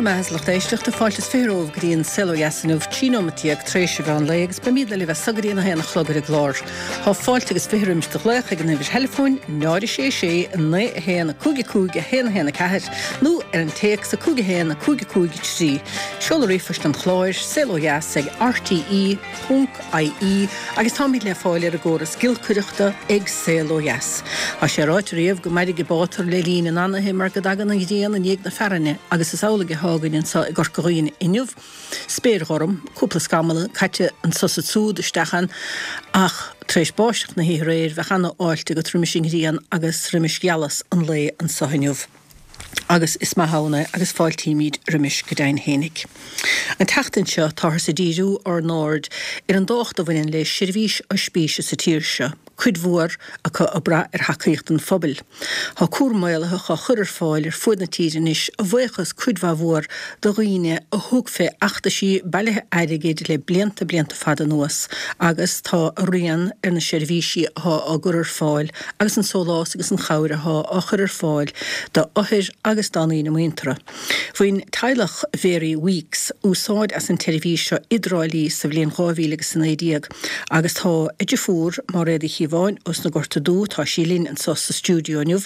Bhur mbeatha a lucht éisteachta, fáilte is 20 romhaibh go dtí an Saol Ó Dheas inniu, 13 nóimeat tar éis an mheán lae agus beimídne libh as so go dtí an 1 a chlog ar an gclár. Tá fáilte agus 20 roimis do ghlaoch ag an uimhir theileafóin 0 6 6 9 1 5 5 1 1 4 nó ar an téacs 5 1 5 5 3. Seoladh ríomhphoist an chláir, saolodheas ag rte. ie agus táimid le fáil ar an gcóras giolcaireachta ag Saol Ó Dheas. Tá sé ráite riamh go mairfidh an bátar le linn an anaithe mar go dtagann an ghrian i ndiaidh na fearthainne agus is amhlaidh atá againn anseo i gCorca Dhuibhne inniu. Spéir ghorm, cúpla scamall caite anso is ansúd isteach ann ach tar éis báisteach na hoíche aréir bheadh ana-fháilte agat roimis an ghrian agus roimis ghealas an lae anseo inniu. Agus is maith ann é agus fáiltímid roimis go deimhin fhéinig. An tseachtain seo táthar ag díriú ár n-aird ar an dtábhacht a bhaineann le seirbhís oispíse sa tír seo, cuid mhór acu ag brath ar thacaíocht an phobail. Tá cúram maolaitheach á chur ar fáil ar fuaid na tíre anois a bhuíochas cuid mhaith mhór do dhaoine a thug fé fheachtaisí bailithe airgid le blianta blianta fada anuas agus tá a rian ar na seirbhísí atá á gcur ar fáil agus an sólás agus an chabhair athá á chur ar fáil do othair agus dá ndaoine muinteartha. Bhain teaghlach Mhary Weeks úsáid as an tseirbhís seo i dTrá Lí sa bhliain 2019 agus tá a deirfiúr, Máiréad Uí Chíobháin, ós na Gorta Dubha, tá sí linn anso sa stiúideo inniu.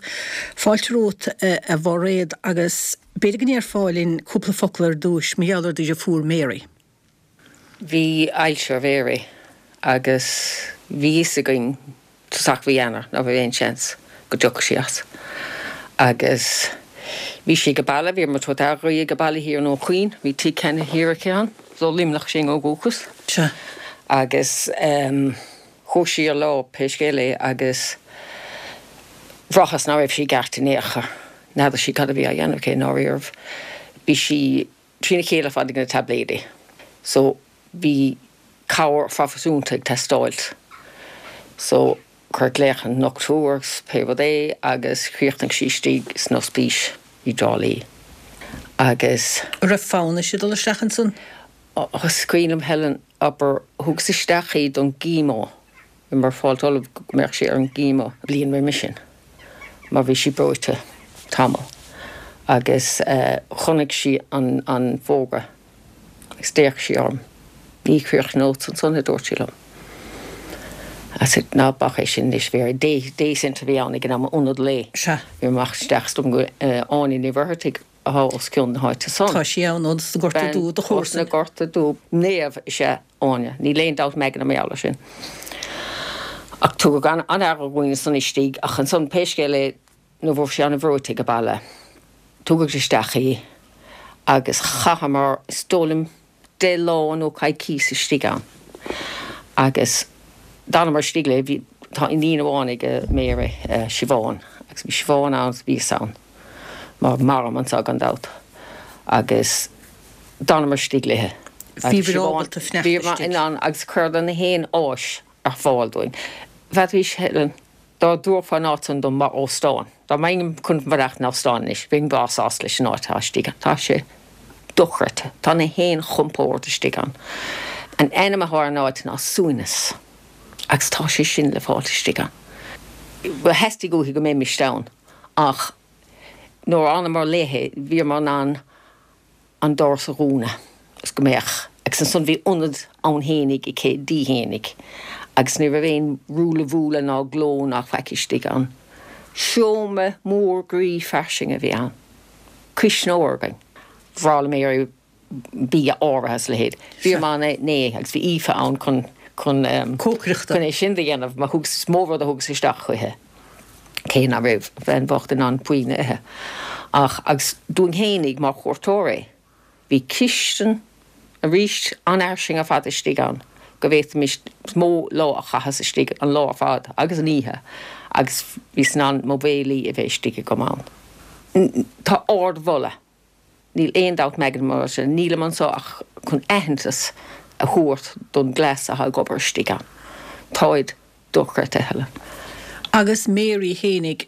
Fáilte romhat a Mháiréad agus b'fhéidir go ndéarfá linn cúpla focal ar dtúis mar gheall ar do dheirfiúr Mary. Bhí ailse ar Mhary agus bhí fhios againn tosach mhí Eanáir ná raibh aon seans go dtiocfadh sí as. Agus bhí sí ag baile, bhíomar ag tabhairt aire dhi ag baile thiar i nDún Chaoin, bhí tigh ceannaithe thiar aici ann, is ó Luimneach sí ó dhúchas. Sea. Agus chuaigh sí ar lá pé scéal é agus bhraitheas ná raibh sí i gceart in aon chor. N'fheadar sí cad a bhí á dhéanamh aici i ndáiríribh. Bhí sí trína chéile ar fad ag na taibléidí. So bhí cabhair phroifisiúnta ag teastáilt. So cuireadh glaoch ar an ndochtúir agus pé rud é agus chríochnaigh sí istigh san ospís i dTrá Lí. Agus. An raibh fonn uirthi dul isteach ansan? Is cuimhin liom Helen, abair, thugas isteach í don gchemo. Bhíomar ag fáilt ullamh go mbeadh sí ar an gchemo bliain roimhe sin mar bhí sí breoite tamall agus chonaic sí an fógra agus d'fhéach sí orm. Ní chríochnódsa ansan, a dúirt sí liom. I said, ná bac é sin anois, Mary. Day, day centre a bhí ann ag an am, ionad lae. Sea. Bhí amach isteach is dóigh liom go Áine Ní Mhuircheartaigh atá os cionn na háite san. Tá sí ann, ós na Gorta Dubha, do chomharsa. Bean ós na Gorta Dubha. Naomh is ea Áine. Níl aon dabht agam mar gheall air sin. Ach tugadh an-aire dhúinn ansan istigh ach ansan pé scéal é nuair bhí sí an-bhreoite ag baile tugadh isteach í agus chaitheamar is dóigh liom 10 lá nó coicíos istigh ann agus d'fhanamar istigh léi, bhí, tá iníon amháin ag Mary, Siobhán, agus bhí Siobhán ann agus bhíos ann mar mairim anseo gan dabht agus d'fhanamar istigh léi. Bhíobhair ábalta fanacht istigh. Bhíomar in ann agus chuireadar na haon áis ar fáil dúinn. Bheadh Helen Dá dtabharfá an áit san dom mar óstán, dá mbeinn chun fanacht in óstán anois, bheinn breá sásta leis an áit atá istigh ann. Tá sé dochreidte. Tá na haon chompord istigh ann. An ainm atá ar an áit ná Suaimhneas agus tá sé sin le fáilt istigh ann. Theastaigh uaithi go mbeimist ann ach nuair a fhanamar léi bhíomar in ann an doras a dhúnadh agus go mbeadh, agus ansan bhí ionad ann fhéinig aici di fhéinig agus ní raibh aon ruaille bhuaille ná gleo ná faic istigh ann. Seomra mór groí fairsing a bhí ann. Cuisneoir againn. Bhreá le Mary bia áirithe is a leithéid. Bhíomar ann é agus bhí Aoife ann chun, chun, Cócaireachta. chun é sin do dhéanamh mar thugas, is mó rud a thugas isteach chuici. cé ná raibh bhean bhocht in ann puinn a ithe. Ach, agus dúinn fhéinig mar chuairteoirí, bhí cistin arís an-fhairsing ar fad istigh ann, go bhféadfaimis, is mó lá a chaitheas istigh, an lá ar fad agus an oíche, agus bhíos in ann mo bhéilí a bheith istigh agam ann. Tá ardmholadh. Níl aon dabht agam mar sin. Nílim anso ach chun aitheantas a thabhairt don gcleas atá ag obair istigh ann. Táid dochreidte, Helen. Agus Mary fhéinig,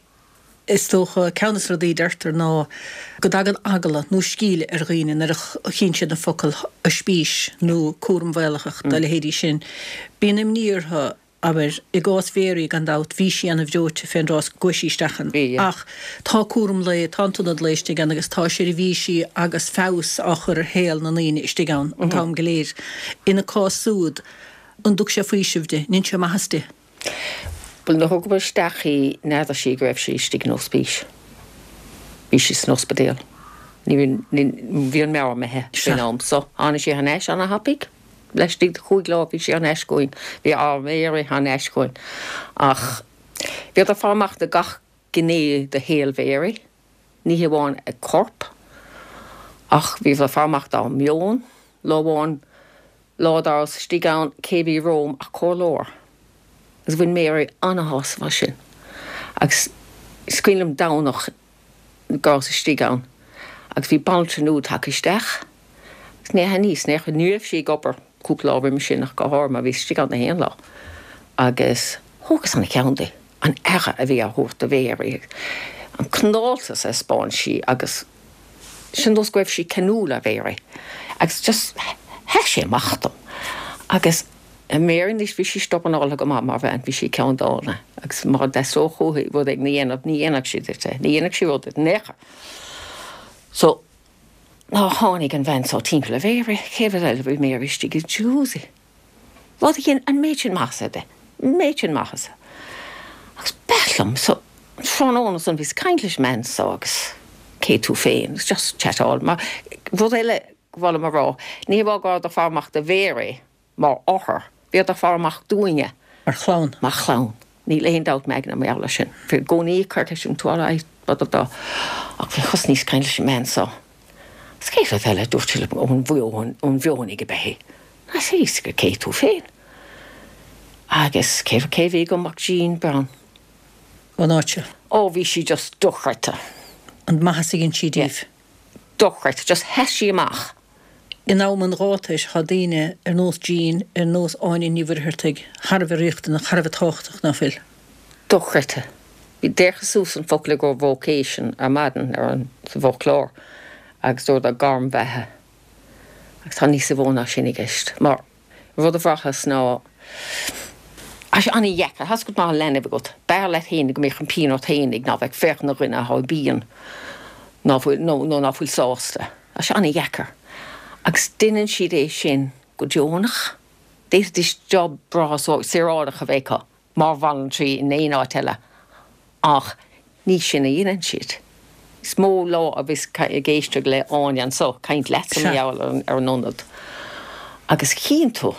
is dócha, ceann de na rudaí a deirtear ná go dtagann eagla nó sceimhle ar dhaoine nuair a chíonn siad na focail oispís nó cúram mhaolaitheach dá leithéidí sin. Bíonn imní orthu. Abair, i gcás Mhéaraí, gan dabht, bhí sí ana-bhreoite fén dtráth go gcuaigh sí isteach ann. Ach tá cúram lae, tá an t-ionad lae istigh ann agus tá seirbhísí agus feabhas á chur ar shaol na ndaoine istigh ann an t-am go léir. Ina cás súd, an dtug sé faoiseamh di? An ndein sé maitheas di? Bhuel, nuair a thugamar isteach í, n'fheadar sí go raibh sí istigh in ospís. Bhí sí san ospidéal. Ní raibh, ní, bhí an meabhair imithe faoin am so. Tháinig sí thar n-ais ana-thapaidh. Laistigh de chúig lá bhí sí thar n-ais chugainn, bhí ár Mary thar n-ais chugainn. Ach bhíodar ag faire amach do gach gné de shaol Mhary, ní hé amháin a corp, ach bhíodar ag faire amach dá meon. Lá amháin, lá dá rabhas istigh ann, cé bhí romham ach comhairleoir. Agus bhain Mary ana-shásamh as sin. Agus is cuimhin liom Domhnach, go rabhas istigh ann agus bhí banaltra nua tagtha isteach agus ní aithníos in aon chor, ní raibh sí ag obair cúpla lá roimis sin ach go háirithe mar bhíos istigh ann na haon lá agus thógas ana-cheann di, an aire a bhí á thabhairt do Mhéaraí, an cineáltas a thaispeáin sí agus sin nós go raibh sí ceanúil ar Mhéaraí agus just sheas sé amach dom agus. Mary anois, bhí sí stubbornáltha go maith mar bhean, bhí sí ceanndána agus má dteastódh uaithi rud éigin a dhéanamh, ní dhéanfadh sí duit é, ní dhéanfadh sí rud duit in aon chor. So, nár tháinig an bhean so timpeall ar Mhary, chéad rud eile bhí Mary istigh i jacuzzi. Rud a dhein an méid sin maitheasa di, an méid sin maitheasa. Agus b'ait liom, so, an tráthnóna san bhíos ag caint leis an mbean so agus cé tú féin, agus just chatáil, mar rud eile ba mhaith liom a rá, ní hamháin go rabhadar ag faire amach do Mhary, mar othar, bhíodar ag faire amach dúinne. Mar chlann. Mar chlann. Níl aon dabht m'aigne mar gheall air sin. Bhí i gcónaí ag cur ceist an tú alright, da da da. Ach bhí thosnaíos ag caint leis an mbean so. Agus cén rud eile a dúirt sí liom, ón mheon, ón Mheonaigh ab ea í. Tá a fhios agat cé tú féin. Agus cé, cé a bhí agam ach Jean Brown. Ón áit seo. Ó, bhí sí just dochreidte. An maitheas a dhein sí díbh. Dochreidte. Just sheas sí amach. In am an ghátair, tá daoine ar nós Jean, ar nós Áine Ní Mhuircheartaigh, thar a bheith riachtanach, thar a bheith tábhachtach, ná fuil? Dochreidte. Bhí d'fhéachas suas an focal i gcomhair vocation ar maidin ar an sa bhfoclóir agus dúradar gairm bheatha. Agus tá níos mó ná sin i gceist. Mar. Rud a bhraitheas ná, tá sé an-dheacair, tá a fhios agat má tá leanbh agat, b'fhearr leat féin go mbeadh an pian ort féinig ná bheith ag féachaint ar dhuine atá i bpian ná fuil, nó, nó ná fuil sásta. Tá sé an-dheacair. Agus deineann siad é sin go deonach. D'fhéadfaidís job breá saoránach a bheith acu. mar bhanaltraí in aon áit eile ach ní sin a dheineann siad. Is mó lá a bhíos ag éisteacht le Áine anso, caint leatsa mar gheall ar an ionad agus chíonn tú,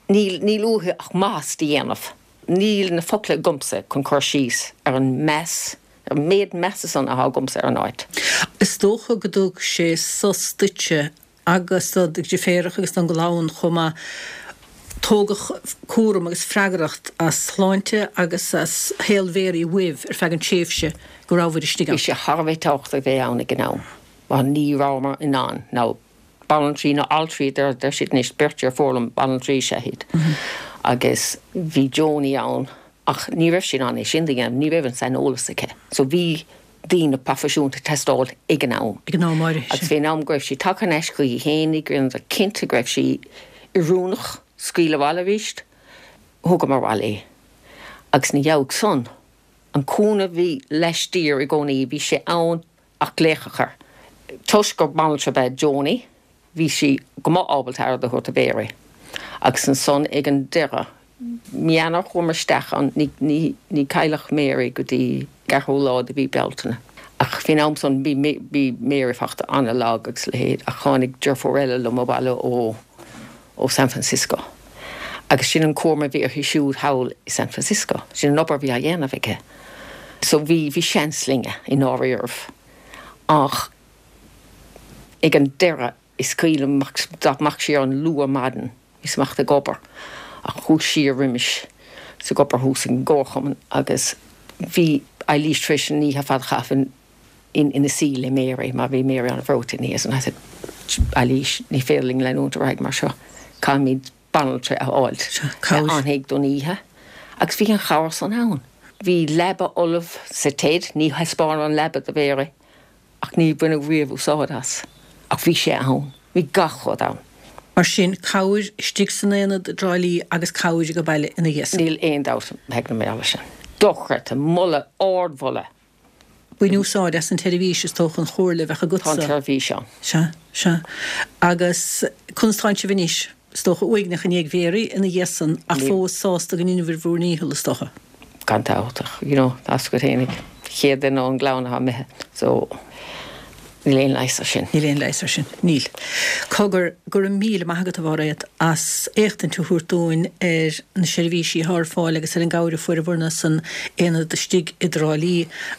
níl, níl uathu ach maitheas do dhéanamh. Níl na focla agamsa chun cur síos ar an meas, ar an méid measa san atá agamsa ar an áit. Is dócha go dtug sé sos duitse agus do do dheirféaracha agus don gclann chomh maith. Tógadh cúram agus freagracht as sláinte agus as shaol Mhéaraí uaibh ar feadh an tréimhse go rabhabhair istigh ann. Bhí sé thar a bheith tábhachtach a bheith ann ag an am mar ní rabhamar in ann, nó banaltraí nó altraí a deir siad anois, beirt deirfiúr liom, banaltraí is ea iad agus bhí Joni ann ach ní raibh sí in ann é sin do dhéanamh, ní raibh an saineolas aici. So bhí daoine proifisiúnta ag teastáil ag an am. Ag an am áirithe sin. Agus bhí an am go raibh sí tagtha thar n-ais chuici fhéinig, rinneadar cinnte go raibh sí oiriúnach scaoileadh abhaile arís. Thugamar abhaile í. Agus ina dhiaidh san, an cúnamh a bhí laistiar i gcónaí, bhí sé ann ach glaoch a chur. Toisc gur banaltra ab ea Joni, Bhí sí go maith ábalta aire do thabhairt do Mhéaraí. Agus ansan ag an deireadh, mí Eanáir chuamar isteach ann, ní, ní, ní cailleadh Mary go dtí an ceathrú lá de mhí Bealtaine. Ach faoin am san bhí, bhí Mary fachta ana-lag agus a leithéid ach tháinig deirfiúr eile liom abhaile ó, ó San Francisco. Agus sin an cúram a bhí uirthi siúd thall i San Francisco. Sin an obair a bhí á dhéanamh aici. So bhí, bhí seans linne i ndáiríribh. Ach. Ag an deireadh, is cuimhin liom amach siar ann luath ar maidin, bhíos amach ag obair ach chuas siar roimis is ag obair thuas ag an gcomharchumann agus bhí Eilís tar éis an oíche ar fad a chaitheamh ina suí le Mary mar bhí Mary an-bhreoite ina dhiaidh san. I said, Eilís, ní féidir linn leanúint ar aghaidh mar seo, caithfimid banaltra a fháilt a fhanfaidh don oíche agus bhí an chabhair san ann. Bhí leaba ullamh sa TED, ní thaispeánadh an leaba do Mhary Ach ní baineadh riamh úsáid as. Ach bhí sé ann. Bhí gach rud ann. Mar sin, cabhair istigh san aonad i dTrá Lí agus cabhair ag baile ina dhiaidh san. Níl aon dabht ag na mbealach sin. Dochreidte. Moladh, ardmholadh. Bain úsáid as an tseirbhís, is dócha, an chomhairle a bheadh agatsa. Tá an tseirbhís ann. Sea, sea. Agus conas tánn sibh anois? Is dócha uaigneach i ndiaidh Mhéaraí ina dhiaidh san, ach fós sásta go ndeineabhair bhur ndícheall, is dócha. Gan dabht, ach you know, tá's agat fhéinig, chéad duine ón gclann atá imithe, so níl aon leigheas ar sin. Níl aon leigheas ar sin, níl. Cogar, go raibh míle maith agat, a Mháiréad, as éachtaint a thabhairt dúinn ar na seirbhísí atá ar fáil agus ar an gcabhair a fuaireabhair-na san aonad istigh i dTrá Lí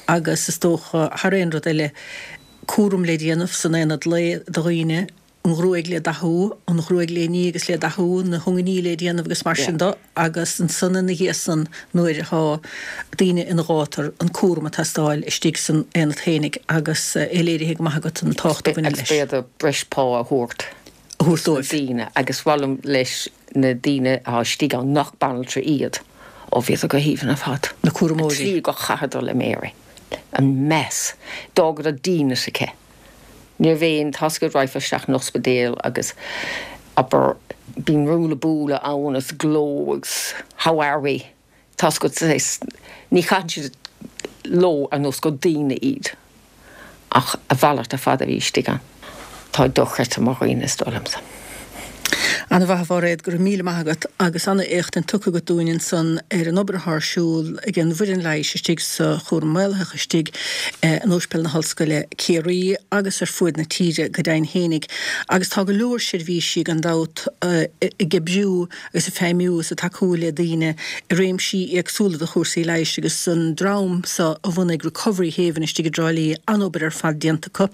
agus is dócha, thar aon rud eile, cúram le déanamh san aonad lae do dhaoine, an ghruaig le dathú, an ghruaig le ní agus le dathú, na hiongannaí le déanamh agus mar sin de agus ansan ina dhiaidh san nuair atá daoine ina ghátar, an cúram ag teastáil istigh san aonad fhéinig agus é léirithe go maith agat an tábhacht a bhaineann leis. Agus b'fhéidir breis pá a thabhairt. a thabhairt dóibh. daoine agus mhaith liom leis na daoine atá istigh ann nach banaltra iad, ó bhíodar go haoibhinn ar fad. Na cúramóirí. An tslí gur chaitheadar le Mary. An meas. D'fhágadar dínit aici. Ní raibh aon, tá's agat raghfá isteach in ospidéal agus, abair, bíonn ruaille buaille ann agus gleo agus how are we? Tá's agat, saghas, ní chaitheann siad leo ar nós gur daoine iad ach a mhalairt ar fad a bhí istigh ann. Tá dochreidte mar dhaoine is dóigh liomsa. Ana mhaith a Mháiréad, go raibh míle maith agat agus ana éachtaint tugtha agat dúinn ansan ar an obair atá ar siúl ag an bhfoireann leighis istigh sa chúram maolaitheach istigh in Ospidéal na hOllscoile Ciarraí agus ar fuaid na tíre go deimhin fhéinig agus tá go leor seirbhísí gan dabht ag oibriú agus ag feidhmiú is ag tacú le daoine i réimsí éagsúla de chúrsaí leighis agus an dream seo a bhunaigh Recovery Haven istigh i dTrá Lí, an-obair ar fad déanta acu.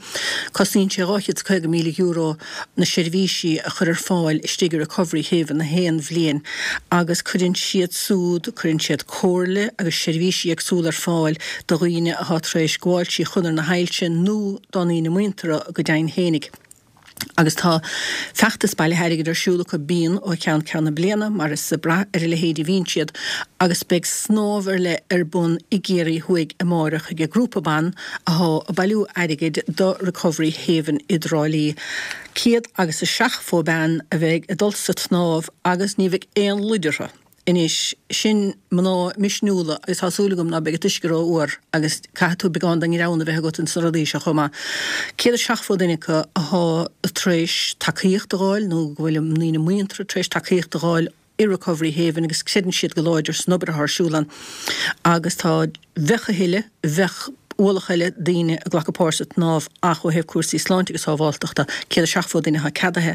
Cosnaíonn sé €250,000 na seirbhísí a chur ar fáil istigh i Recovery Haven na haon bhliain agus cuireann siad súd, cuireann siad comhairle agus seirbhísí éagsúla ar fáil do dhaoine atá tar éis gabháil trí chonair na hailse nó dá ndaoine muinteartha go deimhin fhéinig. Agus tá feachtas bailithe airgid ar siúl acu, bíonn, ó cheann ceann na bliana, mar is ag brath ar a leithéid a bhíonn siad, agus beidh snámh ar leith ar bun i gCiarraí Thuaidh amáireach ag grúpa ban athá ag bailiú airgid do Recovery Haven i dTrá Lí. 170 bean a bheidh ag dul sa tsnámh agus ní bheidh aon luid orthu. Anois, sin mná misniúla agus tá súil agam ná beidh an t-uisce ró-fhuar agus caithfidh tú beagán den ngreann a bheith agat ins na rudaí seo chomh maith. 170 duine acu athá tar éis tacaíocht a dh'fháil nó go bhfuil a ndaoine muinteartha tar éis tacaíocht a dh'fháil i Recovery Haven agus creideann siad go láidir san obair athá ar siúl ann agus tá, bheadh a thuilleadh, bheadh ualach eile daoine ag glacadh páirt sa tsnámh ach ó thaobh cúrsaí sláinte agus sábháltachta, 170 duine atá ceadaithe.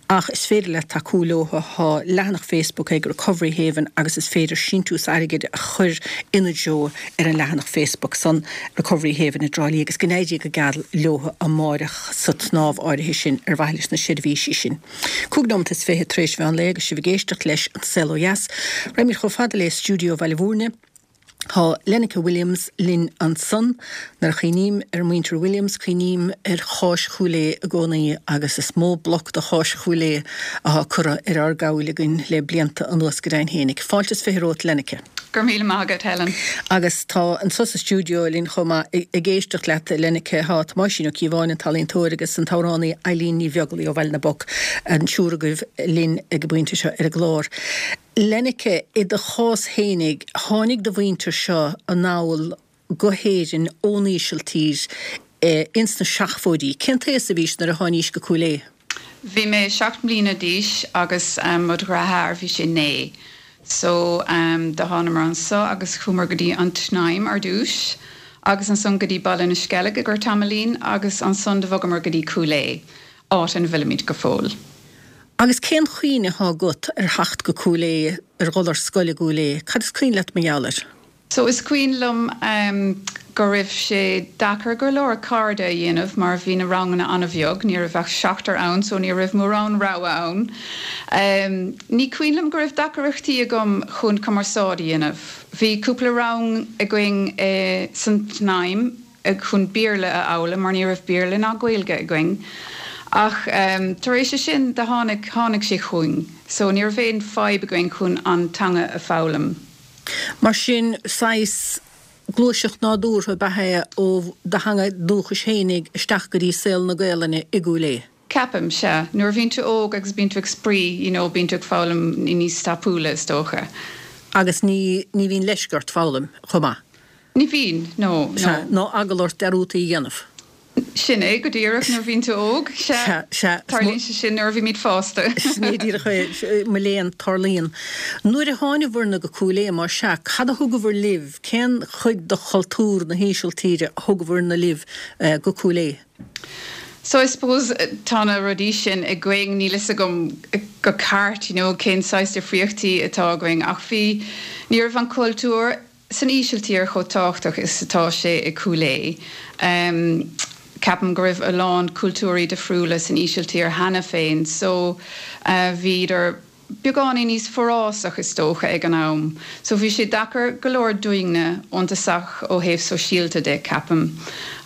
Ach is féidir leat tacú leo, tá leathanach Facebook ag Recovery Haven agus is féidir síntiús airgid a chur ina dtreo ar an leathanach Facebook san, Recovery Haven i dTrá Lí agus go n-éirí go geal leo amáireach sa tsnámh áirithe sin ar mhaithe leis na seirbhísí sin. 25 nóimeat tar éis mheán lae agus sibh ag éisteacht leis An Saol Ó Dheas. Raghaimid chomh fada le stiúideo Bhaile Bhúirne. Tá Lenneke Williams linn ansan. Nuair a chuimhním ar mhuintir Williams, cuimhním ar cháis Chúil Aodha i gcónaí agus is mó bloc de cháis Chúil Aodha athá curtha ar ár gcabhail againn le blianta anuas go deimhin fhéinig. Fáilte is 20 romhat Lenneke. Go raibh míle maith agat, Helen. Agus tá anso sa stiúideo linn chomh maith ag éisteacht leat, Lenneke, tá Tomáisín Ó Cíobháin, an t-ealaíontóir, agus an t-amhránaí Eilín Ní Bheaglaoí ó Bhaile na bPoc, an triúr agaibh linn ag an bpointe seo ar an gclár. Lenneke, i do chás fhéinig, tháinig do mhuintir seo anall go hÉirinn ón Ísiltír ins na seachmhóidí. Cén t-aos a bhís nuair a tháinís go Cúil Aodha? Bhí mé 7 mbliana d'aois agus mo dhreatháir bhí sé 9. So do thánamar anso agus chuamar go dtí an tSnaidhm ar dtús agus ansan go dtí Baile na Sceilge i gcomhair tamaillín agus ansan do bhogamar go dtí Cúil Aodha, áit ina bhfuilimid go fóill. Agus cén chuimhne athá agat ar theacht go Cúil Aodha, ar dhul ar scoil i gCúil Aodha? Cad is cuimhin leat mar gheall air? So is cuimhin liom go raibh sé deacair go leor cairde a dhéanamh mar bhí na ranganna an-bheag, ní raibh ach seachtar ann so ní raibh mórán rogha ann. Ní cuimhin liom go raibh deacaireachtaí agam chun cumarsáid a dhéanamh. Bhí cúpla rang againn san tSnaidhm. chun Béarla a fhoghlaim mar ní raibh Béarla ná Gaeilge againn ach tar éis sin do tháinig, tháinig sé chugainn so ní raibh aon fadhb againn chun an teanga a foghlaim. Mar sin, saghas gluaiseacht nádúrtha ab ea é ó do theanga dúchais fhéinig isteach go dtí saol na Gaelainne i gCúil Aodha. Ceapaim, sea. Nuair a bhíonn tú óg agus bíonn tú ag spraoi, you know, bíonn tú ag foghlaim níos tapúla, is dócha. Agus ní, ní bhíonn leisce ort foghlaim chomh maith. Ní bhíonn, no, no. Sea, ná eagla ort dearútaí a dhéanamh. Sin é go díreach, nuair a bhíonn tú óg, sea. Sea, sea. Tarlaíonn sé sin nuair a bhímid fásta. Sin é díreach é, mo léan, tarlaíonn. Nuair a thánabhairne go Cúil Aodha, más ea, cad a thugabhair libh, cén chuid de chultúr na hÍsiltíre a thugabhairne libh go Cúil Aodha? So I suppose tá na rudaí sin againn, níl fhios agam go ceart you know cén saghas difríochtaí atá againn ach bhí, ní raibh an cultúr san Ísiltír chomh tábhachtach is atá sé i Cúil Aodha. Ceapaim go raibh a lán cultúirí difriúla san Ísiltír cheana féin so bhíodar beagáinín níos forásach is dócha ag an am. So bhí sé deacair go leor dúinne ón tosach ó thaobh sóisialta de, ceapaim.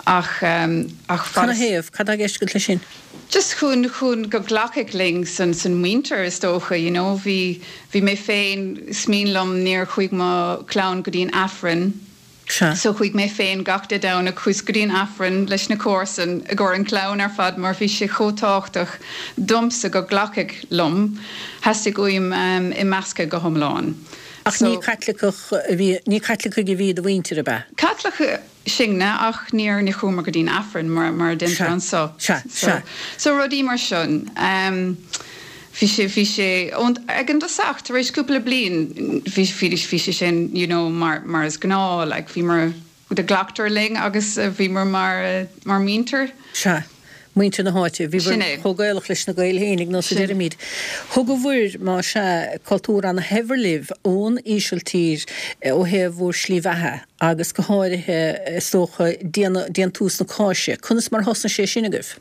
Ach, ach fad is. Canathaobh? Cad tá i gceist agat leis sin? Just chun, chun go nglacfadh linn san, san muintir is dócha, you know. Bhí, bhí mé féin, is mian liom, níor chuaigh mo chlann go dtí an Aifreann. Sea. So chuaigh mé féin gach Dé Domhnaigh chuas go dtí an Aifreann leis na comharsain i gcomhair an clann ar fad mar bhí sé chomh tábhachtach domsa go nglacfadh liom. Theastaigh uaim imeascadh go hiomlán. Ach ní Caitliceach a bhí, ní Caitlicigh a bhí i do mhuintir, ab ea? Caitliceach sinne ach níor, ní chuamar go dtí an Aifreann mar, mar a deintear anseo. Sea, sea, sea. So rudaí mar sin. Bhí sé, bhí sé, ón, ag an dtosach, tar éis cúpla bliain, bhí, bhí, bhí sé sin, you know, mar, mar is gnáth, like, bhíomar, do ghlactar linn agus bhíomar mar, mar muintir. Sea, muintir na háite. Bhíobhair Sin é. chomh Gaelach leis na Gaeil fhéinig, nós a Sin. deirimid. Thugabhair, más ea, cultúr ana-shaibhir libh ón Ísiltír ó thaobh bhur slí bheatha agus go háirithe, is dócha, déanamh, déantús na cáise. Conas mar a thosnaigh sé sin agaibh?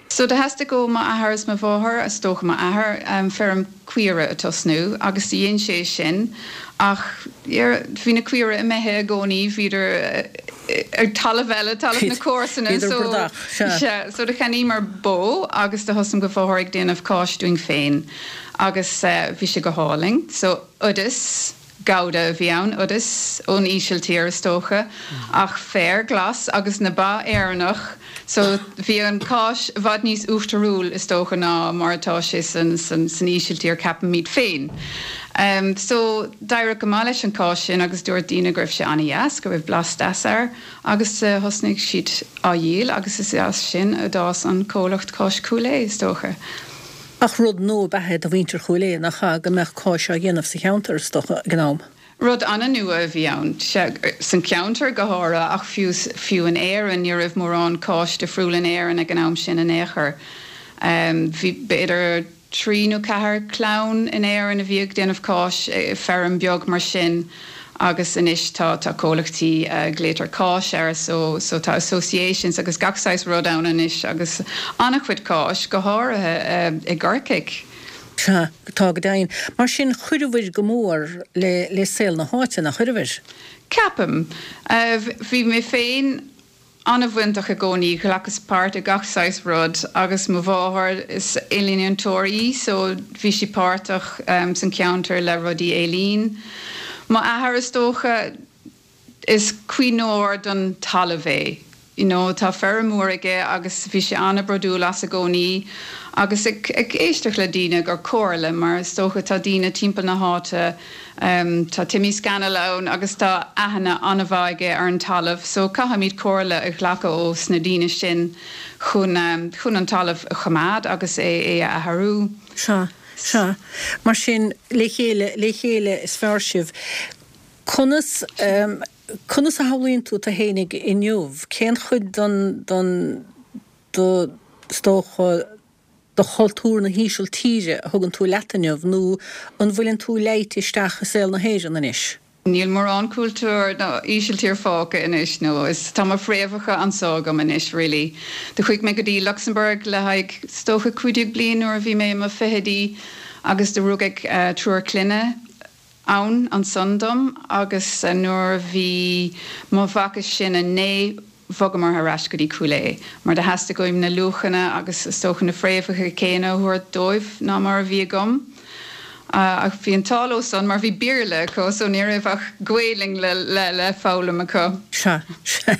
So do theastaigh ó m'athair is mo mháthair, is dócha m'athair, feirm caoire a tosnú agus do dhein sé sin ach bhí na caoire imithe i gcónaí, bhíodar ar talamh eile, talamh na comharsana Bhíodar so bradach, sea. sea, so do cheannaíomar bó agus do thosaigh mo mháthair ag déanamh cáis dúinn féin agus bhí sé go hálainn. So oideas. Gouda a bhí ann, oideas ón Ísiltír is dócha, ach féar glas agus na ba Éireannach so bhí an cáis i bhfad níos uachtarúil is dócha ná mar atá sé san san Ísiltír ceapaimid féin. So d'éirigh go maith leis an cáis sin agus dúirt daoine go raibh sé an-dheas, go raibh blas deas air agus thosnaigh siad á dhíol agus is as sin a d'fhás an comhlacht Cáis Chúil Aodha is dócha. Ach rud nua ab ea é do mhuintir Chúil Aodha, nach ea, go mbeadh cáis á dhéanamh sa cheantar, is dócha, ag an am? Rud an-nua a bhí ann, sea, san cheantar go háirithe ach fiú, fiú in Éirinn, ní raibh mórán cáis difriúil in Éirinn ag an am sin in aon chor. Bhí, b'fhéidir, trí nó ceathair clann in Éirinn a bhí ag déanamh cáis, feirm beag mar sin. Agus anois tá, tá comhlachtaí a glaotar cáis air so, so tá associations agus gach saghas rud ann anois agus an-chuid cáis, go háirithe i gCorcaigh. Sea, tá go deimhin. Mar sin, chuireabhair go mór le, le saol na háite, nach chuireabhair? Ceapaim. Bhí mé féin an-bhainteach i gcónaí, ghlacas páirt i gach saghas rud agus mo mháthair, is ealaíontóir í so bhí sí páirteach san cheantar le rudaí ealaín. Mo athair is dócha, is caomhnóir don talamh é, you know tá feirm mhór aige agus bhí sé an-bhródúil as i gcónaí agus ag éisteacht le daoine ag cur comhairle mar is dócha tá daoine timpeall na háite Tá Timmy Scannell ann agus tá aithne an-mhaith aige ar an talamh so caithfimid comhairle a ghlacadh ó sna daoine sin chun chun an talamh a choimeád agus é é a athrú. Sea, sea. Mar sin, le chéile, le chéile is fearr sibh. Conas, conas a shamhlaíonn tú tú fhéinig inniu? Cén chuid den, den, de, is dócha, de chultúr na hÍsiltíre a thugann tú leat inniu nó an bhfuileann tú leáite isteach i saol na hÉireann anois? Níl mórán cultúr na hÍsiltíre fágtha anois nó is tá mo phréamhacha anso agam anois really. Do chuaigh mé go dtí Luxembourg le haghaidh is dócha 15 bliain nuair a bhí mé i mo fichidí agus do rugadh triúr clainne ann ansan dom agus nuair a bhí mo mhac is sine 9 bhogamar ar ais go dtí Cúil Aodha mar do theastaigh uaim na luachanna agus is dócha na fréamhacha céanna a thabhairt dóibh ná mar a bhí agam. Ach bhí an t-ádh leo san mar bhí Béarla acu so ní raibh ach Gaelainn le le le foghlaim acu. Sea, sea.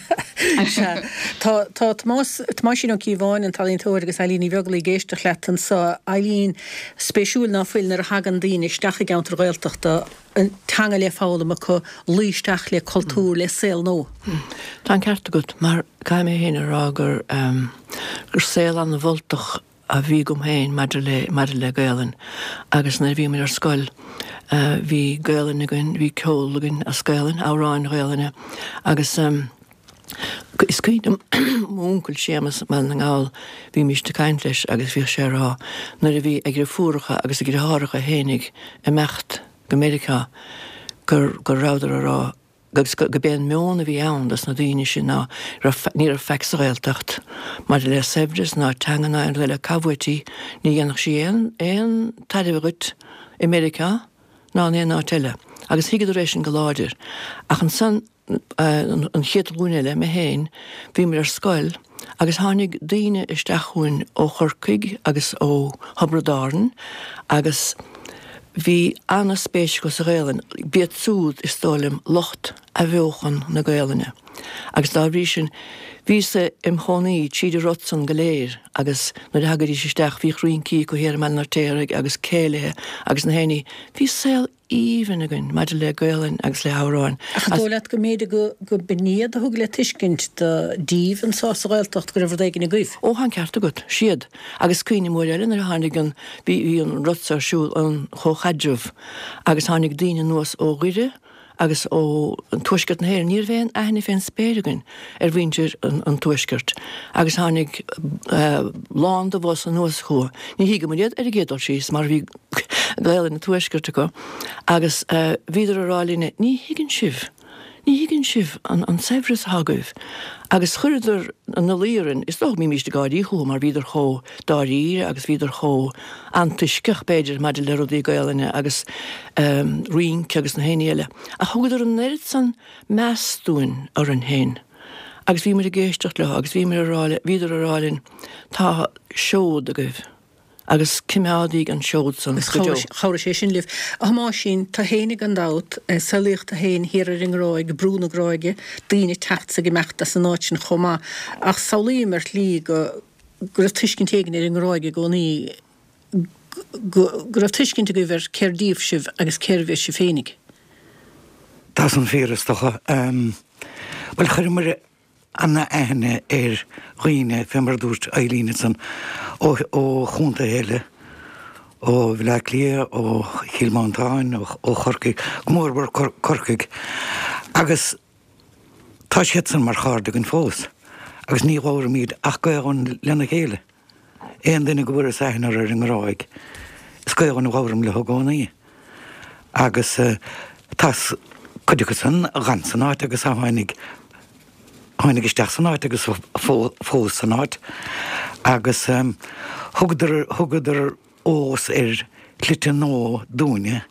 Sea. Tá, tá Tomás, Tomáisín Ó Cíobháin, an t-ealaíontóir, agus Eileen Ní Bheaglaoí ag éisteacht leat anseo. Eileen, spéisiúil ná fuil nuair a thagann daoine isteach i gceantar Ghaeltachta, an teanga le foghlaim acu, luí isteach le cultúr, le saol nua. Tá an ceart agat, mar caithfidh mé féin a rá gur, gur saol an-mholtach a bhí agam féin maidir le, maidir le Gaelainn agus nuair a bhíomar ar scoil bhí Gaelainn againn, bhí ceol againn as Gaelainn, amhráin Ghaelainne agus is cuimhin liom m'úncail Séamus i mBaile na nGall, bhímíst ag caint leis agus bhíodh sé a rá nuair a bhí a dhriofúracha agus a dhriotháracha fhéinig imeacht go Meiriceá gur, go rabhadar a rá agus go b'é an meon a bhí ann dos na daoine sin ná raibh, ní raibh faic sa Ghaeltacht maidir le saibhreas ná teanga ná aon rud eile, cá bhfuait í, ní dhéanfadh sí aon, aon tairbhe dhuit i Meiriceá ná in aon áit eile. Agus thuigeadar é sin go láidir. Ach ansan, an chéad ghlúin eile, mé féin, bhíomar ar scoil agus tháinig daoine isteach chugainn ó Chorcaigh agus ó Thiobraid Árann agus bhí ana-spéis acu sa Ghaelainn. B'iad súd, is dóigh liom, lucht athbheochan na Gaelainne agus dá bhrí sin bhíos-sa im chónaí tríd an rud san go léir agus nuair a thagaidís isteach bhíodh rincí acu thiar i mBaile an Fheirtéaraigh agus céilithe agus na héinní. Bhí saol aoibhinn againn maidir le Gaelainn agus le hamhráin. Ach an dóigh leat go mb'fhéidir go go b'in iad a thug le tuiscint do díbh anso sa Ghaeltacht go raibh rud éigin agaibh? Ó, tá an ceart agat. Siad. Agus cuimhním uair eile nuair a tháinig an, bhí, bhí an rud so ar siúl, an chomhchaidreamh, agus tháinig daoine anuas ó Dhoire agus ó tuaisceart na hÉireann. Ní raibh aon aithne fén spéir againn ar mhuintir an tuaiscirt agus tháinig lán de bhus anuas chucu. Ní thuigeamar iad ar an gcéad dul síos mar bhí Gaelainn an tuaiscirt acu agus bhíodar a rá linne ní thuigeann sibh, ní thuigeann sibh an saibhreas atá agaibh agus chuireadar ina luí orainn, is dócha go mbímíst ag gáirí chucu mar bhíodar chomh dáiríre agus bhíodar chomh antoisceach b'fhéidir maidir le rudaí Gaelainne agus rince agus na héinní eile ach thugadar an oiread san meas dúinn orainn féin agus bhíomar ag éisteacht leo agus bhíomar a rá le, bhíodar a rá linn tá seod agaibh agus cimeádaíg an seod san go deo. Chabhraigh sé sin libh. A Thomáisín, tú fhéinig gan dabht, saolaíodh tú fhéin thiar ar an nGráig, Brú na Gráige, daoine ag teacht 's ag imeacht as an áit sin chomh maith. Ach samhlaím ar shlí go go raibh tuiscint éigin ar an nGráig i gcónaí, go go raibh tuiscint agaibh ar cér díobh sibh agus cérbh iad sibh féinig. Tá san fíor is dócha. Bhuel, chuireamar ana-aithne ar dhaoine, fé mar a dúirt Eileen ansan, ó ó chontaetha eile, ó Bhaile Átha Cliath, ó Chill Mhantáin, ó Chorcaigh, go mór mhór Corcaigh. Agus tá siad san mar chairde againn fós agus ní labhraímid ach Gaolainn lena chéile. Aon duine go bhfuireas aithne orthu ar an nGráig, is Gaolainn a labhraím leo i gcónaí. Agus tá cuid acu san a dh'fhan san áit agus a tháinig, tháinig isteach san áit agus fós san áit. Agus thugadar, thugadar eolas ar shlite nua dúinne,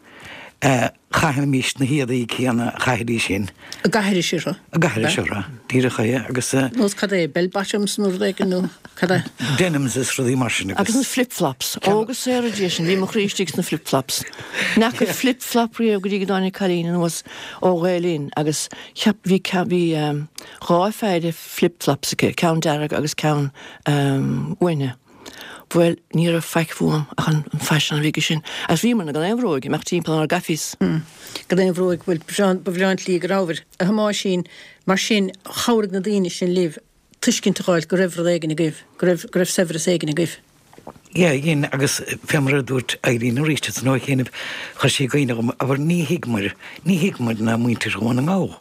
chaithimís na héadaí céanna a chaithidís sin. A gcaithidís orthu. A gcaithidís orthu, díreach é, agus. Nós cad é, bell bottoms nó rud éigin nó cad é? Denims is rudaí mar sin agus. Agus na flip flops. Ó go saora Dia sinn, bhí mo chroí istigh sna flip flops. N'fheaca flip flop riamh go dtí go dtáinig cailín anuas ó Ghael Linn agus cheap, bhí, bhí dhá pheidhre flip flops aici, ceann dearg agus ceann uaithne. Bhuel, ní raibh faic uaim ach an faisean a bhí aige sin. Agus bhíomarna gan aon bhróig, ag imeacht timpeall inár gcaifies. Gan aon bhróig, bhuel, ba bhreá an tslí go rabhabhair. A Thomáisín, mar sin, chabhraigh na daoine sin libh tuiscint a fháil go raibh rud éigin agaibh, go raibh, go raibh saibhreas éigin agaibh. Yeah, dhein, agus fé mar a dúirt Eileen arís ansan ó chianaibh, chuir sí i gcuimhne dhom, abair, ní thuigmear, ní thuigmear ná muintir Dhún na nGall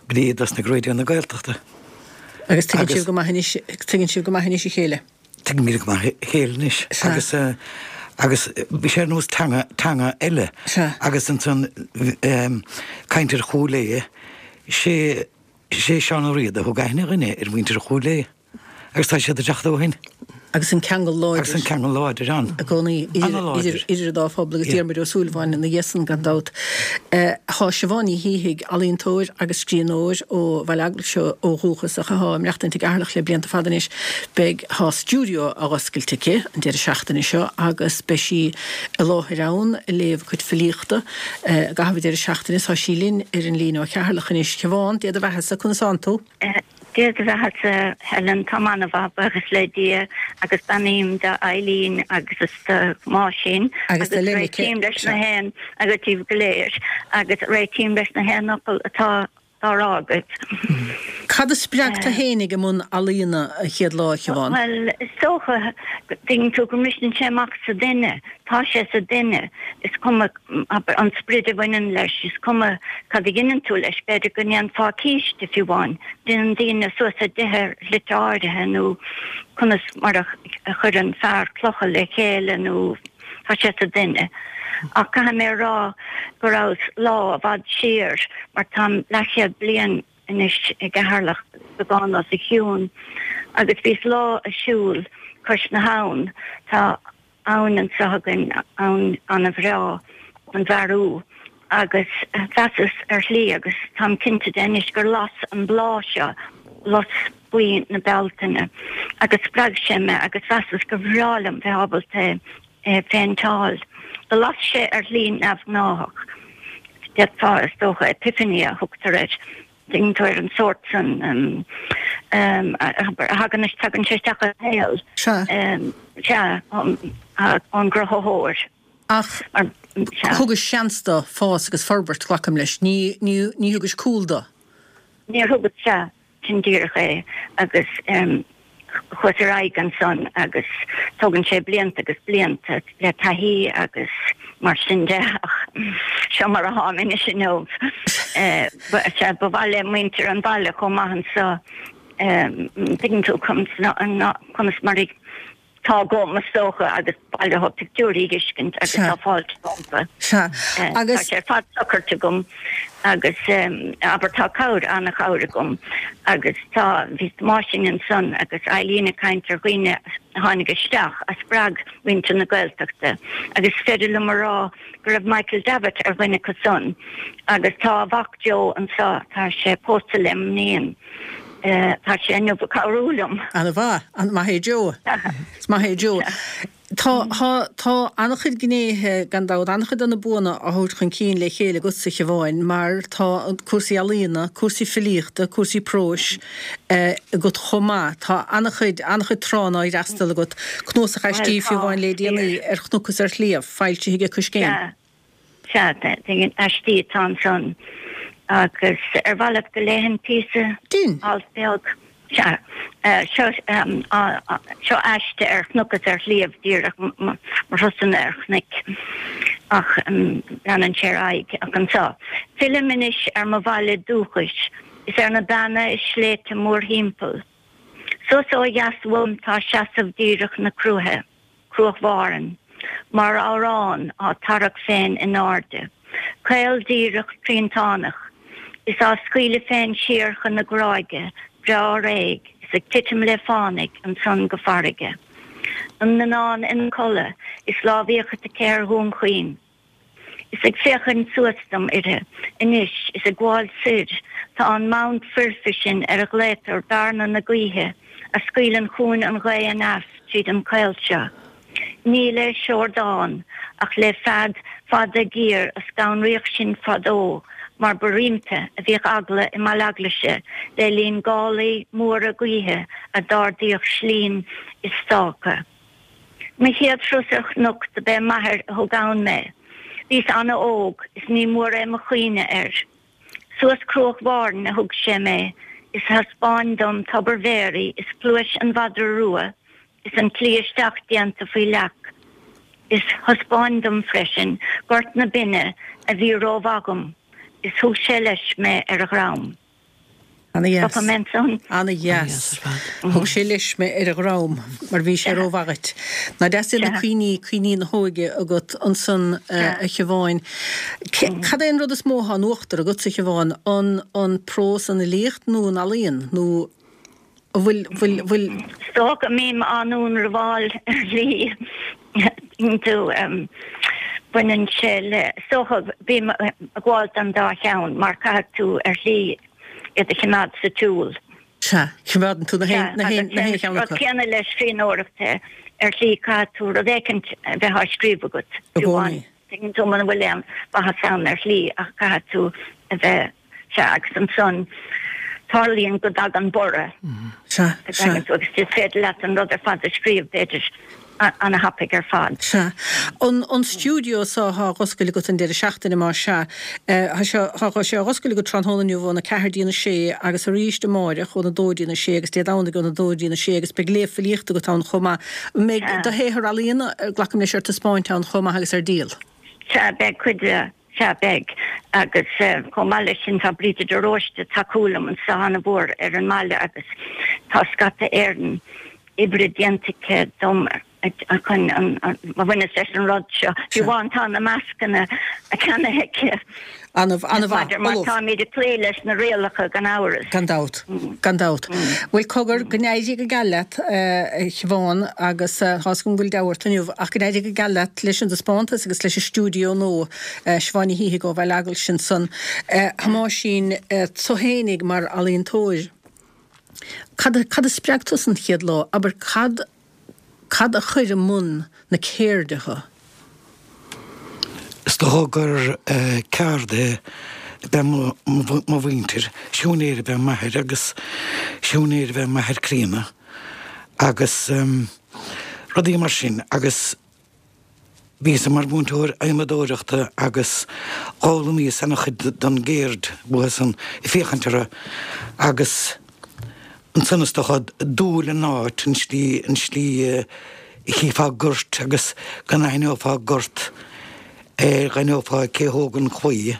go dtí a dtosnaigh Raidió na Gaeltachta. Agus tuigeann sibh go maith anois, tuigeann sibh go maith anois a chéile. Tuigimid go maith a chéile anois. Sea. Agus, agus bhí sé ar nós teanga, teanga eile. Sea. Agus ansan, caint ar Chúil Aodha, sé, sé Seán Ó Riada a thug aithne dhuinn ar mhuintir Chúil Aodha. Agus tá siad ag teacht ó shin. Agus an ceangal láidir. Agus an ceangal láidir ann. I gcónaí An-láidir. idir an dá phobal agus Diarmuid Ó Súilleabháin ina dhiaidh san gan dabht. Tá Siobhán Ní Shíthigh, ealaíontóir agus scríbhneoir ó Bhaile Eaglaise ó dhúchas ach atá ag maireachtaint i gCeatharlach le blianta fada anois. Beidh, tá stiúideo á oscailt aici an deireadh seachtaine seo agus beidh sí i láthair ann ag léamh a cuid filíochta i gcaitheamh an deireadh seachtaine. Tá sí linn ar an líne ó Cheatharlach anois. Siobhán, Dia do bheathasa, conas tánn tú? Dia do bheathasa, Helen, táim an-mhaith, buíochas le Dia, agus beannaím do Eileen agus is do Mháisín Agus do Lenneke. Réitím leis na haon agus díbh go léir agus réitím leis na haon fhocal atá á rá agat. Cad a spreag tú fhéinig i mbun ealaíona an chéad lá, a Shiobhán? Bhuel, is dócha, tuigeann tú, go mbriseann sé amach sa duine, tá sé sa duine, is cuma an sprid a bhaineann leis, is cuma cad a dheineann tú leis, b'fhéidir go ndéanfá císte fiú amháin, déanann daoine suas a dtithe ar shlite áirithe nó conas mar a chuireann fear clocha le chéile nó tá sé sa duine. Ach caithfidh mé a rá go rabhas lá i bhfad siar mar táim leathchéad bliain anois i gCeatharlach, beagán os a chionn, agus bhíos lá ag siúl cois na habhann, tá abhainn anseo againn, abhainn an-bhreá, an Bhearú, agus mheasas ar shlí, agus táim cinnte de anois, gur las an bláth seo lus buí na Bealtaine, agus spreag sé mé agus mheasas gur bhreá liom bheith ábalta é a phéinteáil. Do las sé ar shlí neamhghnáthach, d'fhéadfá, is dócha, epiphany a thugtar air. Tuigeann tú ar an sórt san a thagann, tagann sé isteach i shaol. Sea. Sea, ón gCruthaitheoir. Ach thugais seans dó fás agus forbairt, glacaim leis. Ní, ní, ní thugais cúl dó. Níor thugas, sea. Sin díreach é. Agus chuas ar aghaidh ansan agus tógann sé blianta agus blianta le taithí agus mar sin de ach seo mar atáim anois inniu. Sea, ba mhaith le muintir an bhaile chomh maith anso, tuigeann tú, conas mar a Tá agam, is dócha, agus ba mhaith leo pictiúirí a fheiscint agus tá fáilte rompu. Sea, agus. Tá sé ar fad socraithe agam agus, abair, tá cabhair, an-chabhair agam agus tá, bhí Máisín ansan agus Eileen ag caint ar dhaoine a tháinig isteach a spreag muintir na Gaeltachta agus is féidir liom a rá go raibh Michael Davitt ar dhuine acu san agus tá a mhac Joe anso, tá sé pósta le m'iníon. Tá sé inniu ag cabhrú liom. An-mhaith. An-maith é Joe. Is maith é Joe. Tá, tá, tá an-chuid gnéithe, gan dabht, an-chuid de na buanna á thabhairt chun cinn le chéile agatsa, a Shiobháin, mar tá cúrsaí ealaíona, cúrsaí filíochta, cúrsaí próis agat chomh maith. Tá an-chuid, an-chuid tránna á fhreastal agat. Cnuasach aistí Shiobháin le déanaí, Ar Chnoc is ar Shliabh, foilsithe ag Coiscéim. Sea, aistí atá ansan. Agus ar mhaith leat go léifinn píosa? Dein. Alt beag. Sea. Seo, seo aiste ar chnoc is ar shliabh, díreach mo thurasanna ar chnoic. Ach leanann sé ar aghaidh. Ach anso. Fillim anois ar mo bhaile dúchais is ar na beanna is sléibhte mórthimpeall. Suas ó dheas uaim tá seasamh díreach na cruaiche. Cruach Mhàirean, mar amhrán á tarrac féin in airde, caol díreach triantánach, is á scaoileadh féin siar chun na gráige breá réidh is ag titim le fánaidh ansan go farraige. An Mionnán ina codladh is lámh fhiachait aici ar Dhún Chaoin. Is ag féachaint suas dom uirthi anois is ag gabháil soir tá an mound foirfe sin ar a ghlaotar Bearna na Gaoithe a scaoileann chugainn an ghaoth aneas tríd an chaol seo. Ní le seordán ach le fead fada géar a scanraíodh sinn fadó mar ba roimpi a bhíodh eagla i mBaile Eaglaise le linn gálaí móra gaoithe a d'ardaíodh slinn is stáca. Mo chéad thuras ar chnoc do b'é m'athair a thug ann mé. Bhíos ana-óg is ní mór é mo chuimhne air. Suas Cruach Mhàirean a thug sé mé is thaispeáin dom Tobar Mhéaraí is Pluais an Mhadra Rua is an tslí isteach déanta faoi leac is thaispeáin dom freisin Gort na Binne a bhí rómhaith dhom is thug sé leis mé ar a dhrom. Ana-dheas. Ana-dheas. Thug sé leis mé ar a dhrom mar bhí sé rómhaith dhuit. Nach deas iad na cuimhní, cuimhní na hóige agat ansan a Shiobháin. Cad é an rud is mó atá in uachtar agatsa a Shiobháin, an an prós, an fhilíocht nó an ealaíon nó an bhfuil, bhfuil, bhfuil. Is dócha go mbím á ndúnrabháil ar shlí. Tú, baineann sé le, is dócha, bím ag gabháil don dá cheann mar caithfidh tú ar shlí iad a choimeád sa tsiúl. Sea, coimeádann tú na haon, na haon, na haon cheann acu. Rud céanna le scríbhneoireacht, ar shlí caithfidh tú rud éicint a bheith á scríobh agat. I gcónaí. Tuigeann tú muna bhfuil aon mhaitheas ann ar shlí ach caithfidh tú a bheith, sea, agus ansan. Tarlaíonn go dtagann borradh. Sea, sea. Agus is féidir leat an rud ar fad a scríobh, b'fhéidir, ana-thapaidh ar fad. Sea. An, an stiúideo so athá á dh'oscailt agat an deireadh seachtaine, más sea. Thá sé, thá sé á dh'oscailt agat tráthnóna inniu óna ceathair dtí'n a sé agus arís amáireach óna dó dtí'n a sé agus Dé Domhnaigh óna dó dtí'n a sé agus beidh léamh filíochta agat ann chomh maith. An mbeidh do shaothar ealaíona, glacaim leis, ar taispeáint ann chomh maith agus ar díol? Sea, beidh cuid de. Sea, beidh. Agus chomh maith leis sin tá Bríde de Róiste ag tacú liom anseo an-mhór ar an mbaile agus tá scata Éireann oibre déanta aici dom chun a bhaineas leis an rud seo. Fiú amháin tá na mascanna ceannaithe aici. An-mhaith, an-mhaith. Mar táimid ag cloí leis na rialacha gan amhras. Gan dabht. Gan dabht. Bhuel, cogar, go n-éirí go geal leat, a Shiobhán, agus tá 'fhios agam go bhfuil deabhadh ort inniu, ach go n-éirí go geal leat leis an dtaispeántas agus leis an stiúideo nua, Siobhán Ní Shíthigh ó Bhaile Eaglais ansan. A Thomáisín, tú fhéinig mar ealaíontóir, cad a, cad a spreag tusa an chéad lá? Abair, cad, cad a chuir i mbun na ceirde thu? Is dócha gur ceardaithe ab ea mo mhuintir. Siúinéir ab ea m'athair agus siúinéir ab ea m'athair críonna agus rudaí mar sin agus bhíos-sa mar mhúinteoir adhmadóireachta agus d'fhoghlaimíos ana-chuid den gceird uathusan ag féachaint orthu agus ansan is dócha dúil in áit, an slí, an slí a chífeá gort agus go n-aithneofá gort ar dh'aithneofá cé thóg an chlaí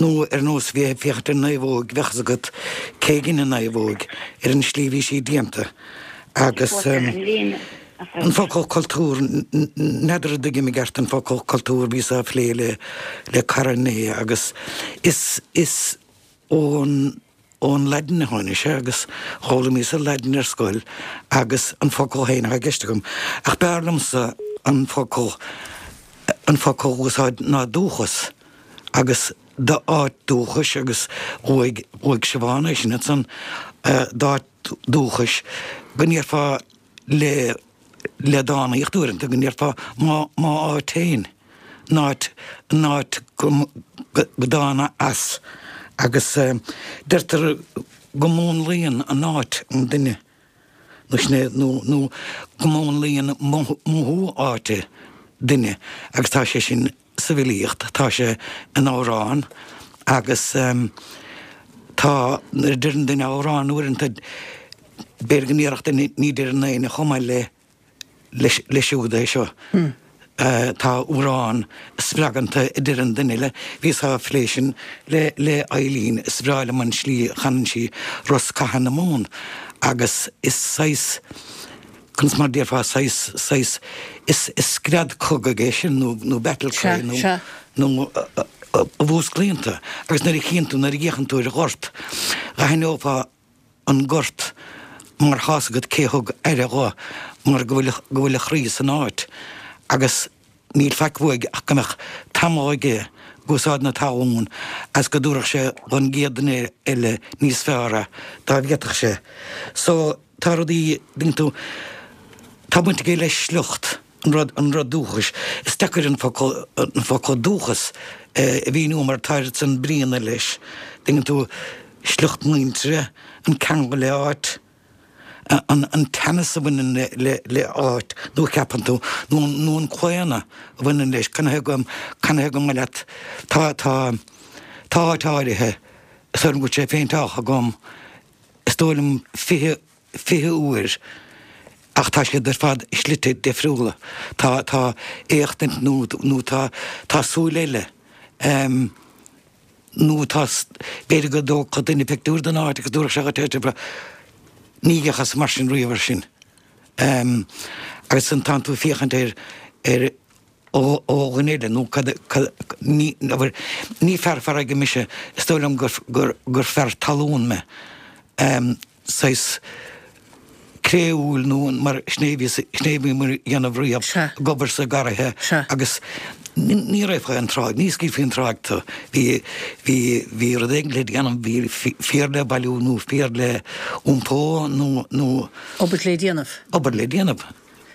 nó ar nós bheith ag féachaint ar naomhóig bheadh fhios agat cé dhein an naomhóig ar an slí a bhí sí déanta agus an focal cultúr, n'fheadar an dtuigim i gceart an focal cultúr, bhíos á phlé le le cara inné agus is is ón ón Laidin a tháinig sé agus d'fhoghlaimíos an Laidin ar scoil agus an focal féin atá i gceist agam. Ach b'fhearr liomsa an focal an focal a úsáid ná dúchas agus d'áit dúchais agus luaigh luaigh Siobhán é sin ansan d'áit dúchais go ndéarfá le le dánaíocht uaireanta go ndéarfá m'áit féin, an áit, an áit go dtána as agus deirtear go múnlaíonn an áit an duine nó sin é nó nó go múnlaíonn mothú áite duine agus tá sé sin sa bhfilíocht, tá sé in amhrán agus tá, nuair a deireann duine amhrán uaireanta, b'fhéidir go ndéarfadh duine ní deireann éinne chomh maith le leis siúd é seo. Tá amhrán a spreagann tú a deireann duine eile. Bhíos á phlé sin le le Eileen, is breá liom an slí a chanann sí Rosc Catha na Mumhan agus is saghas, Conas mar déarfá saghas, saghas, is, is scread cogaidh é sin nó, nó battle cry nó, Sea, sea. nó a mhúsclaíonn tú. Agus nuair a chíonn tú, nuair a fhéachann tú ar ghort, dh'aithneofá an gort mar tá's agat cé thug aire dho mar go bhfuil, go bhfuil a chroí san áit. Agus níl faic uaidh ach go mbeadh tamall aige ag úsáid na talún agus go dtabharfadh sé don gcéad duine eile níos fearr é dá bhféadfadh sé. So. Tá rudaí, dtuigeann tú, tá baint aige le sliocht, an rud, an rud dúchais. Is deacair an focal, an focal dúchas a mhíniú mar tá oiread san bríonna leis, dtuigeann tú, sliocht muintire, an ceangal le áit, an, an teannas a bhaineann le, le, le áit, nó a cheapann tú, nó, nó an claonadh a bhaineann leis, canathaobh go, canathaobh go mba leat, tá, tá, tá áit áirithe, is dóigh liom go bhfuil sé péinteáltha agam, is dóigh liom, 20, 20 uair ach tá siad ar fad i slite difriúla. Tá, tá éachtaint nó, nó tá, tá súil eile em nó tá, b'fhéidir go dtógfadh duine pictiúr den áit agus dúrfadh sé dhuit ní fhéachas mar sin riamh air sin. Em agus ansan tánn tú ag féachaint ar, ar, ó dhuine eile nó cad, cad, ní, abair, ní fear farraige mise, is dóigh liom gur, gur, gur fear talún mé. Saghas créúil nó mar sin é a bhí, sin é a bhí muid a dhéanamh riamh, ag obair sa garraithe agus ní raghfá an tráigh, ní scaoilfí an tráigh tú. Bhí, bhí, bhí rud éigin le déanamh, bhí féar le bailiú nó féar le iompó nó, nó. Obair le déanamh. Obair le déanamh.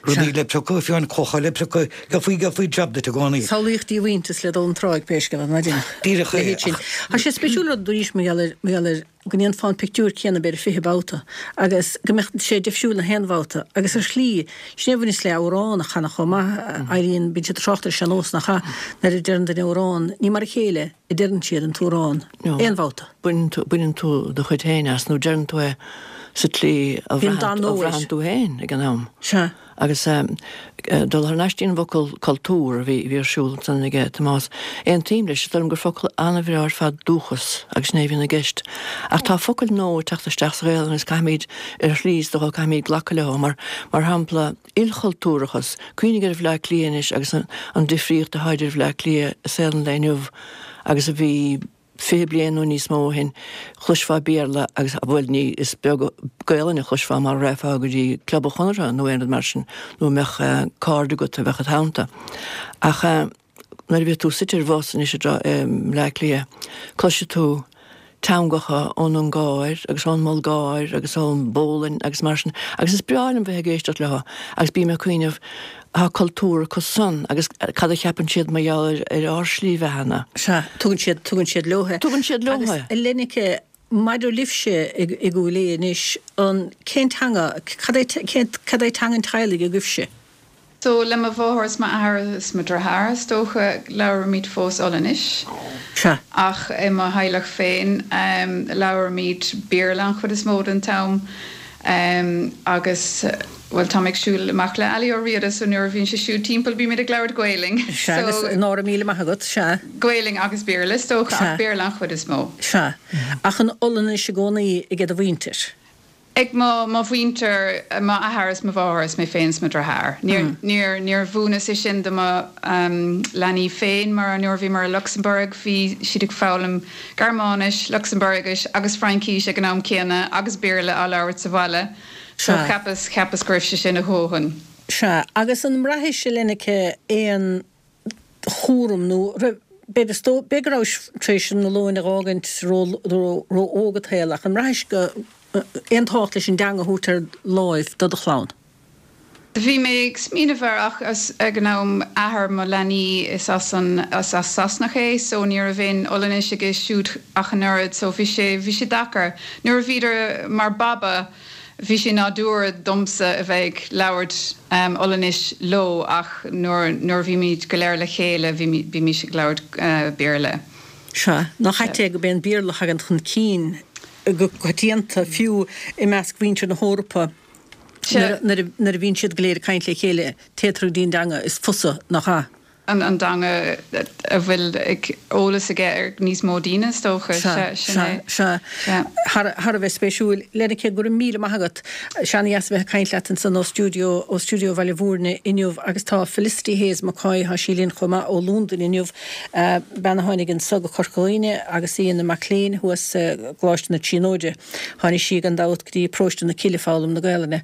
Rudaí le piocadh, fiú amháin clocha le piocadh, gheofaí, gheofaí jab duit i gcónaí. Samhlaíodh díomhaointeas le dul an tráigh pé scéal é, ná déanfadh. Díreach é, ach. Tá sé spéisiúil rud arís mar gheall ar, mar gheall ar go ndéanfá an pictiúr céanna b'fhéidir 20 babhta agus go mbeadh sé difriúil na haon bhabhta agus ar shlí, sin é a bhaineas le amhrán a chanadh chomh maith, éiríonn, bíonn siad ag trácht ar an sean-nós nach ea, nuair a deireann duine amhrán, ní mar a chéile a deireann siad an t-amhrán aon bhabhta. Baineann tú, baineann tú do chuid féin as nó deireann tú é sa tslí a bhraitheann tú féin ag an am. Sea. Agus dul thar n-ais dtí an bhfocal cultúr a bhí ar siúl ansan aige Tomás, aontaím leis, is dóigh liom gur focal an-bhreá ar fad dúchas agus sin é a bhíonn i gceist. Ach tá focail nua ag teacht isteach sa Ghaelainn agus caithfimid, ar shlí is dócha, caithfimid glacadh leo. Mar, mar shampla, ilchultúrachas. Cuimhnigh ar Bhleá Cliath anois agus an difríocht atá idir Bhleá Cliath i saol an lae inniu agus a bhí 20 bliain nó níos mó ó shin, chloisfeá Béarla agus, bhuel, ní, is beag Gaelainn a chloisfeá mara raghfá go dtí Club an Chonartha nó aon rud mar sin, nó a mbeadh cairde agat a bheadh id theannta. Ach nuair a bhíos tú suite ar bhus anois i mBleá Cliath, cloisfidh tú teangacha ón Ungáir agus ón mBulgáir agus ón bPólainn agus mar sin agus is breá liom bheith ag éisteacht leo agus bím ag cuimhneamh, Tá cultúr acu san agus cad a cheapann siad mar gheall ar ár slí bheatha-na? Sea, tugann siad, tugann siad leo é. Tugann siad leo é. Agus a Lenneke, maidir libhse i gCúil Aodha anois, an, cén teanga, cad é, cén, cad é teanga an teaghlaigh agaibhse? So, le mo mháthair is m'athair is mo dhriotháir, is dócha, labhraímid fós Ollainnis. Sea. Ach i mo theaghlach féin, labhraímid Béarla an chuid is mó den t-am. Agus, bhuel, táim ag siúl amach le Ali Ó Riada so nuair a bhíonn sé siúd timpeall bímid ag labhairt Gaelainn. Sea, agus so, nóra míle maith agat, sea. Gaelainn agus Béarla is dócha, ach Béarla an chuid is mó. Sea. Ach an Ollainnis i gcónaí ag do mhuintir? Ag mo, mo mhuintir, m'athair is mo mháthair is mé féin is mo dhriotháir. Níor, níor, níor mhúineas é sin do mo leanaí féin mar nuair a bhíomar i Lucsamburg bhí siad ag foghlaim Gearmáinis, Lucsambuirgis agus Fraincís ag an am céanna agus Béarla á labhairt sa bhaile so cheapas, cheapas go raibh sé sin a dhóthain. Sea, agus an mbraithis, a Lenneke, aon chúram nó raibh, b'fhéidir, is dóigh, b'fhéidir go rabhais tar éis an Ollainn a dh'fhágaint ró-óg i do shaol ach an mbraithis go, aon tábhacht leis an dteanga a thabhairt ar láimh do do chlann? Bhí mé ag smaoineamh air ach ag an am athair mo leanaí is as an is as Sasanach é so ní raibh aon Ollainnis aige siúd ach an oiread so bhí sé bhí sé deacair. Nuair a bhíodar mar baba bhí sé nádúrtha domsa a bheith ag labhairt Ollainnis leo ach nuair nuair a bhímid go léir le chéile bhí bímís ag labhairt Béarla. Sea, nach ait é gurb é an Béarla a thagann chun cinn go coitianta fiú i measc mhuintir na hEorpa. Nuair a bhíonn siad go léir ag caint le chéile, téitear go dtí an dteanga is fusa, nach ea? an dteanga a bhfuil eolas aige ar níos mó daoine, is dócha. Sea, sin é. Sea, sea. Thar a bheith spéisiúil. Lenneke, go raibh míle maith agat. Sea, ana-dheas a bheith ag caint leat ansan ó stiúideo, ó stiúideo Bhaile Bhúirne inniu agus tá Felicity Hayes McCoy, tá sí linn chomh maith ó Londain inniu, bean a tháinig anso go Corca Dhuibhne agus í ina mac léinn thuas i gColáiste na Tríonóide. Tháinig sí gan dabht go dtí Paróiste na Cille foghlaim na Gaelainne.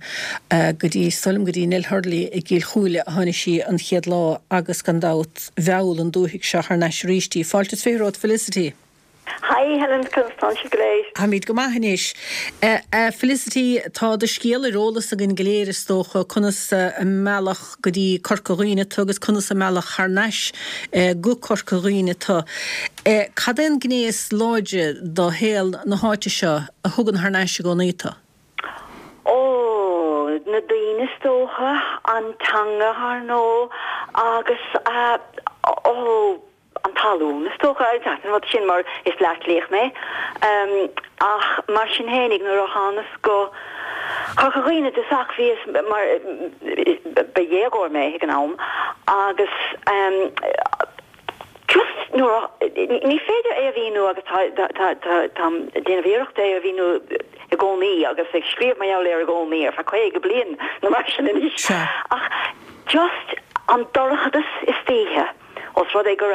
Go dtí, is dóigh liom, go dtí Nell Hurley i gCill Chúile a tháinig sí an chéad lá agus gan dabht mheall an dúthaigh seo thar n-ais arís í. Fáilte is 20 romhat Felicity. Hi Helen, conas tánn sibh go léir? Táimid go maith anois. A Felicity, tá do scéal ar eolas againn go léir is dócha, conas a mealladh go dtí Corca Dhuibhne tu agus conas a mealladh thar n-ais go Corca Dhuibhne tu. Cad é an gné is láidre do shaol na háite seo a thugann thar n-ais i gcónaí tu? Ó, na daoine is dócha, an teanga ar ndóigh agus, ó, an talún is dócha, an rud sin mar is Bleá Cliathach mé. Ach mar sin fhéinig nuair a thánas go Corca Dhuibhne i dtosach bhíos mar ba dhéagóir mé ag an am agus just nuair a ní féidir é a mhíniú agus tá tá tá táim ag déanamh iarrachta é a mhíniú i gcónaí agus ag scríobh mar gheall air i gcónaí ar feadh 50 bliain nó mar sin anois ach just an dorchadas istoíche. Ós rud é gur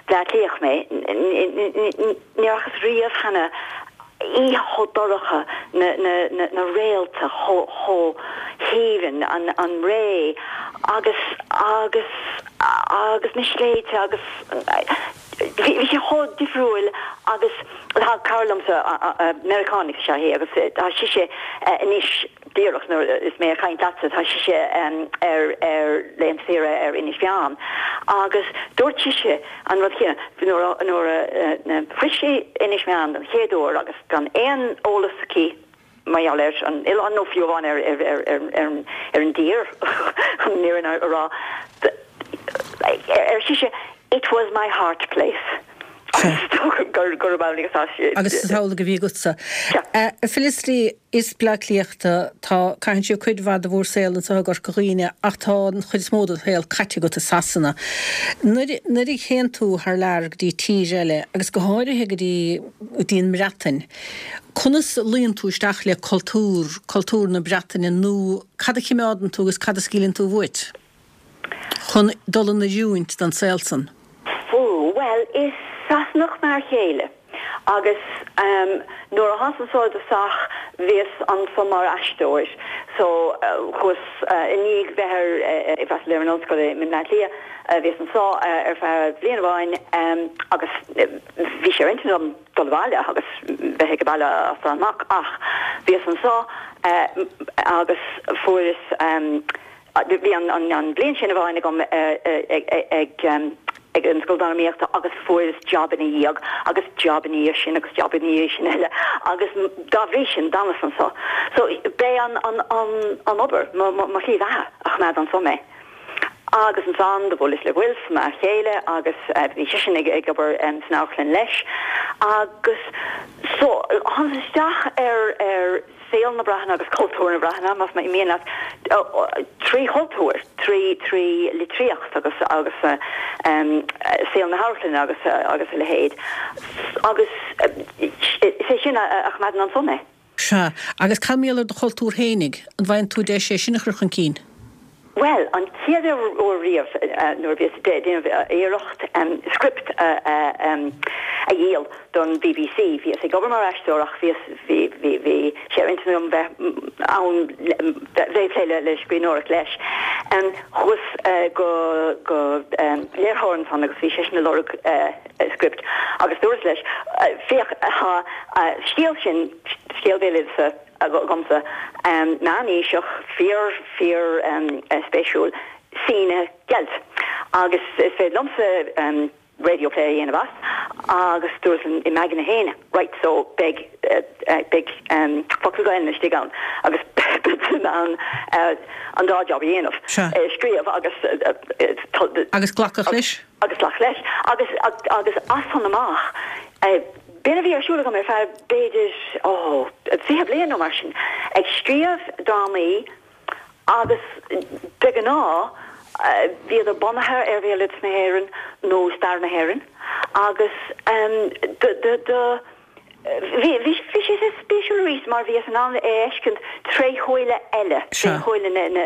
Bleá Cliathach mé, ní fhacthas riamh cheana oíche chomh dorcha, na réalta chomh haoibhinn, an ré agus agus agus na sléibhte agus. Bhí sé chomh difriúil agus tá cara liomsa, Meiriceánach is ea í agus tá sise anois díreach nuair is mé ag caint leatsa, tá sise ar ar laethanta saoire ar Inis Meáin agus dúirt sise an rud céanna nuair a nuair a shroich sí Inis Meáin den chéad uair agus gan aon eolas aici mar gheall ar an oileán nó fiú amháin ar ar an dtír chun an fhírinne a rá. Ar sise, It was my heart place. Agus is dócha gurb amhlaidh atá sé. Agus is amhlaidh a bhí agatsa. A Felicity, is Bleá Cliathach tú, tá, caitheann sibh cuid mhaith de bhur saol anseo i gCorca Dhuibhne ach tá an chuid is mó de do shaol caite agat i Sasana. Nuair, nuair a théann tú thar lear go dtí tír eile agus go háirithe go dtí, go dtí an mBreatain, Conas a luíonn tú isteach le cultúr, cultúr na Breataine nó cad a chimeádann tú agus cad a scaoileann tú uait chun dul in oiriúint don saol san? Bhuel, is Sasanach m'fhear chéile agus nuair a thánas anso i dtosach bhíos anso mar aisteoir so chuas i ndiaidh bheith ar, ag freastal ar an ollscoil i mBleá Cliath, bhíos anso ar feadh bliain amháin agus bhí sé ar intinn agam dul abhaile agus bheith ag baile as san amach ach bhíos anso agus fuaireas bhí an bhliain sin amháin agam ag ag an Scoil Drámaíochta agus fuaireas job ina dhiaidh agus job ina dhiaidh sin agus job ina dhiaidh sin eile agus dá bhrí sin d'fhanas anso. So b'é an an an an obair mo mo shlí bheatha a choimeád anso mé. Agus ansan do bhuaileas le Wilf, m'fhear chéile, agus bhí seisean ag obair san amharclann leis. Agus so, thánas isteach ar ar saol na Breataine agus cultúr na Breataine, más mian leat, trí chultúr, trí trí litríocht agus agus saol na hamharclainne agus agus a leithéid. Agus is é sin a choimeádann anso mé. Sea. Agus cad mar gheall ar do chultúr fhéinig? An bhfaigheann tú deis é sin a chur chun cinn? Bhuel, an chéad uair riamh nuair a bhíos ag déanamh iarracht script a dhíol don bbc, bhíos ag obair mar aisteoir ach bhíos, bhí, bhí, bhí sé ar intinn agam bheith ann, bheith ag plé le scríbhneoireacht leis. Chuas go, go léiritheoir ansan agus bhí seisean ag lorg script agus dúras leis, féach, tá scéal sin, scéal béaloideasa agamsa, meánaoiseach, fíor, fíor spéisiúil, sa gCeilt agus is féidir liomsa radio play a dhéanamh as agus dúras i m'aigne féin, right, so beidh, beidh focal Gaelainne istigh ann agus beidh in ann an dá job a dhéanamh, scríobh agus. Agus glacadh leis? agus glacadh leis agus agus as san amach b'in a bhí ar siúl agam ar feadh b'fhéidir ó 20 bliain nó mar sin ag scríobh drámaí agus de ghnáth bhíodar bunaithe ar bhéaloideas na hÉireann nó stair na hÉireann agus do do Bhí, bhí, bhí sé spéisiúil arís mar bhíos in ann é a fheiscint tré shúile eile, tré shúile na, na,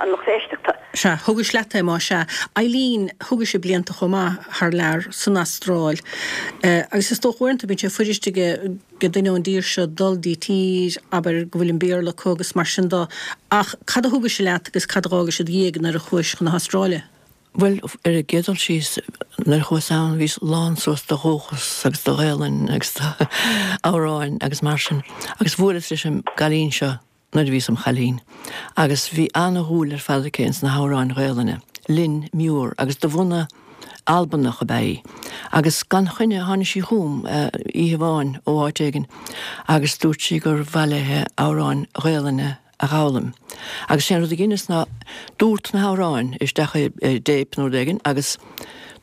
an lucht éisteachta. Sea, thugais leat é más ea. Eileen, thugais blianta chomh maith thar lear, san Astráil. Agus is dócha uaireanta bíonn sé fuirist ag duine ón dtír seo dul dtí tír, abair, go bhfuil an Béarla acu agus mar sin de. Ach cad a thugais leat agus cad a dh'fhágais id dhiaidh nuair a chuais chun na hAstráile? Bhuel, ar an gcéad dul síos, nuair a chuas ann, bhíos lán suas de dhúchas agus de Ghaelainn agus d'amhráin agus mar sin. Agus bhuaileas leis an gcailín seo nuair a bhíos im chailín. Agus bhí ana-dhúil ar fad aici ins na hamhráin Ghaelainne, Lynn Muir, agus de bhunadh Albanach ab ea í. Agus gan choinne tháinig sí chugam oíche amháin ó áit éigin agus dúirt sí gur mhaith léithe amhráin Ghaelainne a dh'fhoghlaim. Agus sé an rud a dheineas ná dúrt na hamhráin isteach i dtéip nó rud éigin agus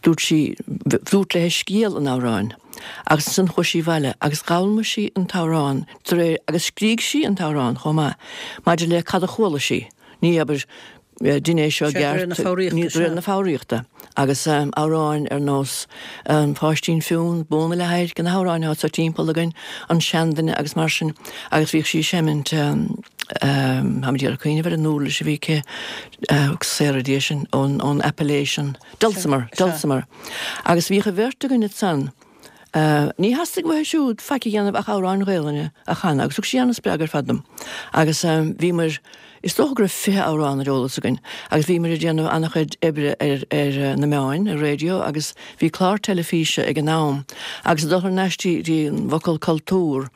dúirt sí, dúrt léithe scéal an amhráin agus ansan chuaigh sí abhaile agus dh'fhoghlaim sí an t-amhrán de réir, agus scrígh sí an t-amhrán chomh maith, maidir le cad a chuala sí. Ní, abair, dein é seo i gceart, ní de réir na foghraíochta. Agus amhráin ar nós An Páistín Fionn, Bó na Leathadhairce, na hamhráin atá timpeall againn, An Seanduine agus mar sin. Agus bhíodh sí ag seimint, táim ag iarraidh cuimhneamh ar an uirlis a bhí aici, saora Dia sinn, ón Appalachian, Dulcimer, Dulcimer. Agus bhíodh an bheirt againn ansan. Ní theastaigh uaithi siúd faic a dhéanamh ach amhráin Ghaelainne a chanadh agus thug sí ana-spreagadh ar fad dom. Agus bhíomar, is dócha go raibh 20 amhrán ar eolas againn agus bhíomar ag déanamh ana-chuid oibre ar ar na meáin, ar raidió agus bhí clár teilifíse ag an am agus ag dul thar n-ais dtí an bhfocal cultúr,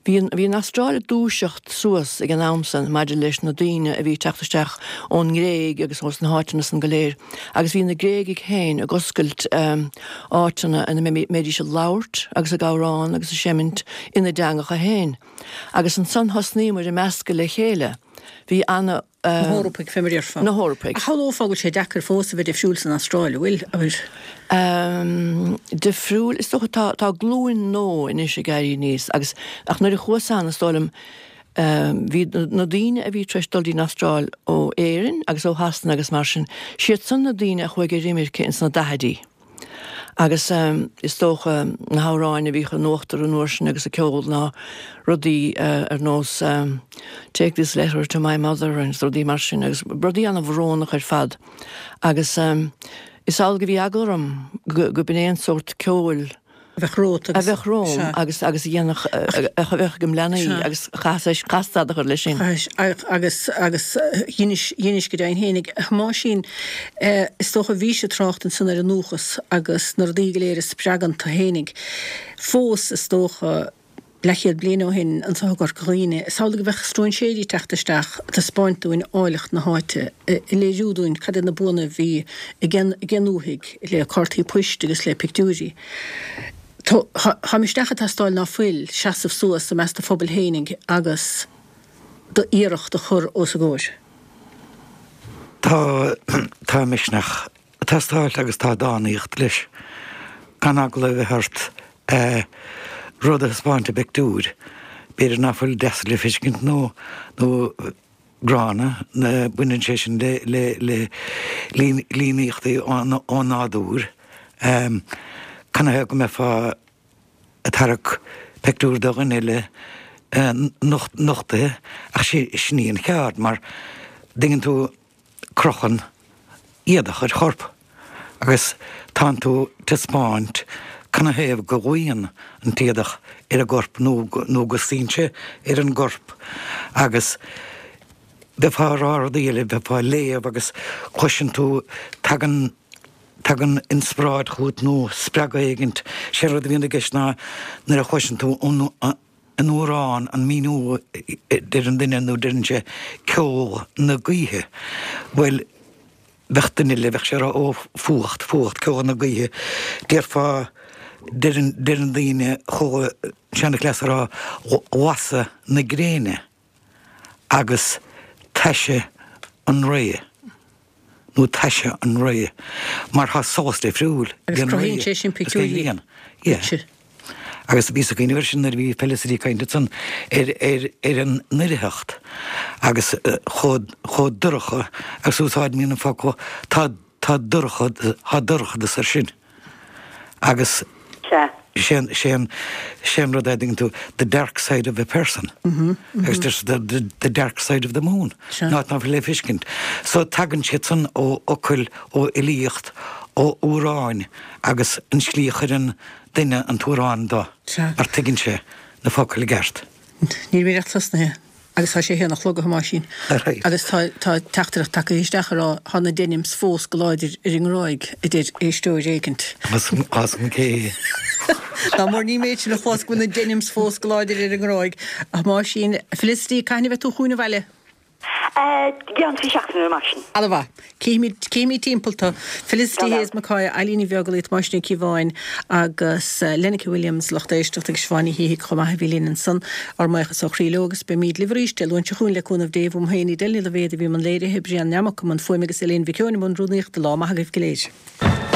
Bhí an, bhí an Astráil ag dúiseacht suas ag an am san maidir leis na daoine a bhí ag teacht isteach ón nGréig agus ós na háiteanna san go léir agus bhí na Gréagaigh féin ag oscailt áiteanna ina mbeidís ag labhairt agus ag amhrán agus ag seimint ina dteangacha féin. Agus ansan thosnaíomar ag meascadh le chéile. Bhí ana. Na hEorpaigh, fé mar a déarfá. Na hEorpaigh. Ach shamhlófá go bhfuil sé deacair fós a bheith difriúil san Astráil, an bhfuil? Abair. Difriúil, is dócha, tá, tá glúin nua anois ag éirí aníos agus, ach nuair a chuas ann, is dóigh liom, bhí na daoine a bhí tar éis dul dtí'n Astráil ó Éirinn agus ó Shasana agus mar sin, siad san na daoine a chuaigh ar imirce ins na daichidí. Agus is dócha na hamhráin a bhíodh in uachtar an uair sin agus an ceol ná rudaí ar nós Take this letter to my mother agus rudaí mar sin agus rudaí ana-bhrónach ar fad. Agus is amhlaidh go bhí eagla orm go b'in é an sórt ceoil a bheadh romhat agus. A bheadh romham agus agus a dhéanfadh a bheadh agam leanaí agus chaithfeas chaithfeas stad a chur leis sin. Agus agus dheinis dheinis go deimhin fhéinig. A Thomáisín, is dócha bhís ag trácht ansan ar an ndúchas agus na rudaí go léir a spreagann tú fhéinig. Fós is dócha leathchéad bliain ó shin anseo i gCorca Dhuibhne, is amhlaidh a bheadh stróinséirí ag teacht isteach ag taispeáint dúinn áilleacht na háite, ag léiriú dúinn cad iad na buanna a bhí ag an ndúthaigh le cártaí poist agus le pictiúirí. Tá misneach ag teastáil ná fuil, seasamh suas i measc do phobail fhéinig agus d'iarracht a chur os a gcomhair. Tá, tá misneach ag teastáil agus tá dánaíocht leis. Gan eagla a bheith ort rud a thaispeáint i bpictiúr, b'fhéidir ná fuil deas le feiscint nó, nó gránna, baineann sé sin le, le, le líníochtaí ón nádúr. Canathaobh go mbeifeá ag tarrac pictiúr de dhuine eile nochtaithe ach sin í an cheard mar dtuigeann tú crochann éadach ar chorp agus tánn tú taispeáint canathaobh go luíonn an t-éadach ar an gcorp nó nó go suíonn sé ar an gcorp agus bheifeá ag rá rudaí eile, bheifeá ag léamh agus cloiseann tú tagann tagann inspioráid chugat nó spreagadh éigint. Sé rud a bhíonn i gceist ná nuair a chloiseann tú an an amhrán, an míniú a deireann duine nó deireann sé ceol na gaoithe. Bhuel, bheadh duine eile, bheadh sé ag rá ó, fuacht, fuacht, ceol na gaoithe. Déarfá, deireann, deireann daoine, chuala seanchleas ag rá lasadh na gréine agus taise an ré. nó taise an ré, mar tá solas difriúil ag an ré Agus cruthaíonn sé sin pictiúirí duitse. Agus bhíos ag cuimhneamh air sin nuair a bhí Felicity ag caint ansan ar ar ar an ndoircheacht agus chomh chomh dorcha agus úsáidimid an focal tá tá dorcha tá dorchadas air sin. Agus sé an, sé an, sé an rud é, dtuigeann tú, the dark side of a person. Agus there's the, the, the dark side of the moon. An áit ná fuil le feiscint. So tagann siad san ó fhocail, ó fhilíocht, ó amhráin agus an slí a chuireann duine an t-amhrán do, mar tuigeann sé na focail i gceart. Níl mé ach tosnaithe. Agus tá sé a haon a chlog a Thomáisín. Agus tá tá teachtaireacht tagtha isteach ag rá tá na denims fós go láidir ar an nGráig, a deir éisteoir éigint. As an gcé. Ná mór ní méid sin a chlos go bhfuil na denims fós go láidir ar an nGráig. A Thomáisín, Felicity, cathain a bheidh tú chugainn abhaile? I gceann 3 seachtaine nó mar sin. Ana mhaith. Cífimid, cífimid timpeall tú. Felicity Hayes McCoy, Eilín Ní Bheaglaoich, Tomás Ó Cíobháin agus Lenneke Williams, lucht éisteachta agus Siobhán Ní Shíthigh chomh maith a bhí linn ansan. Ár mbuíochas ó chroí leo agus beimid libh arís Dé Luain seo chugainn le cúnamh Dé. Uaim féin, Edel Ní Loibhéad a bhí i mbun léirithe, Brian Nammock i mbun fuaime agus Elaine Mhic Eoin i mbun rúnaíochta. Lá maith agaibh go léir.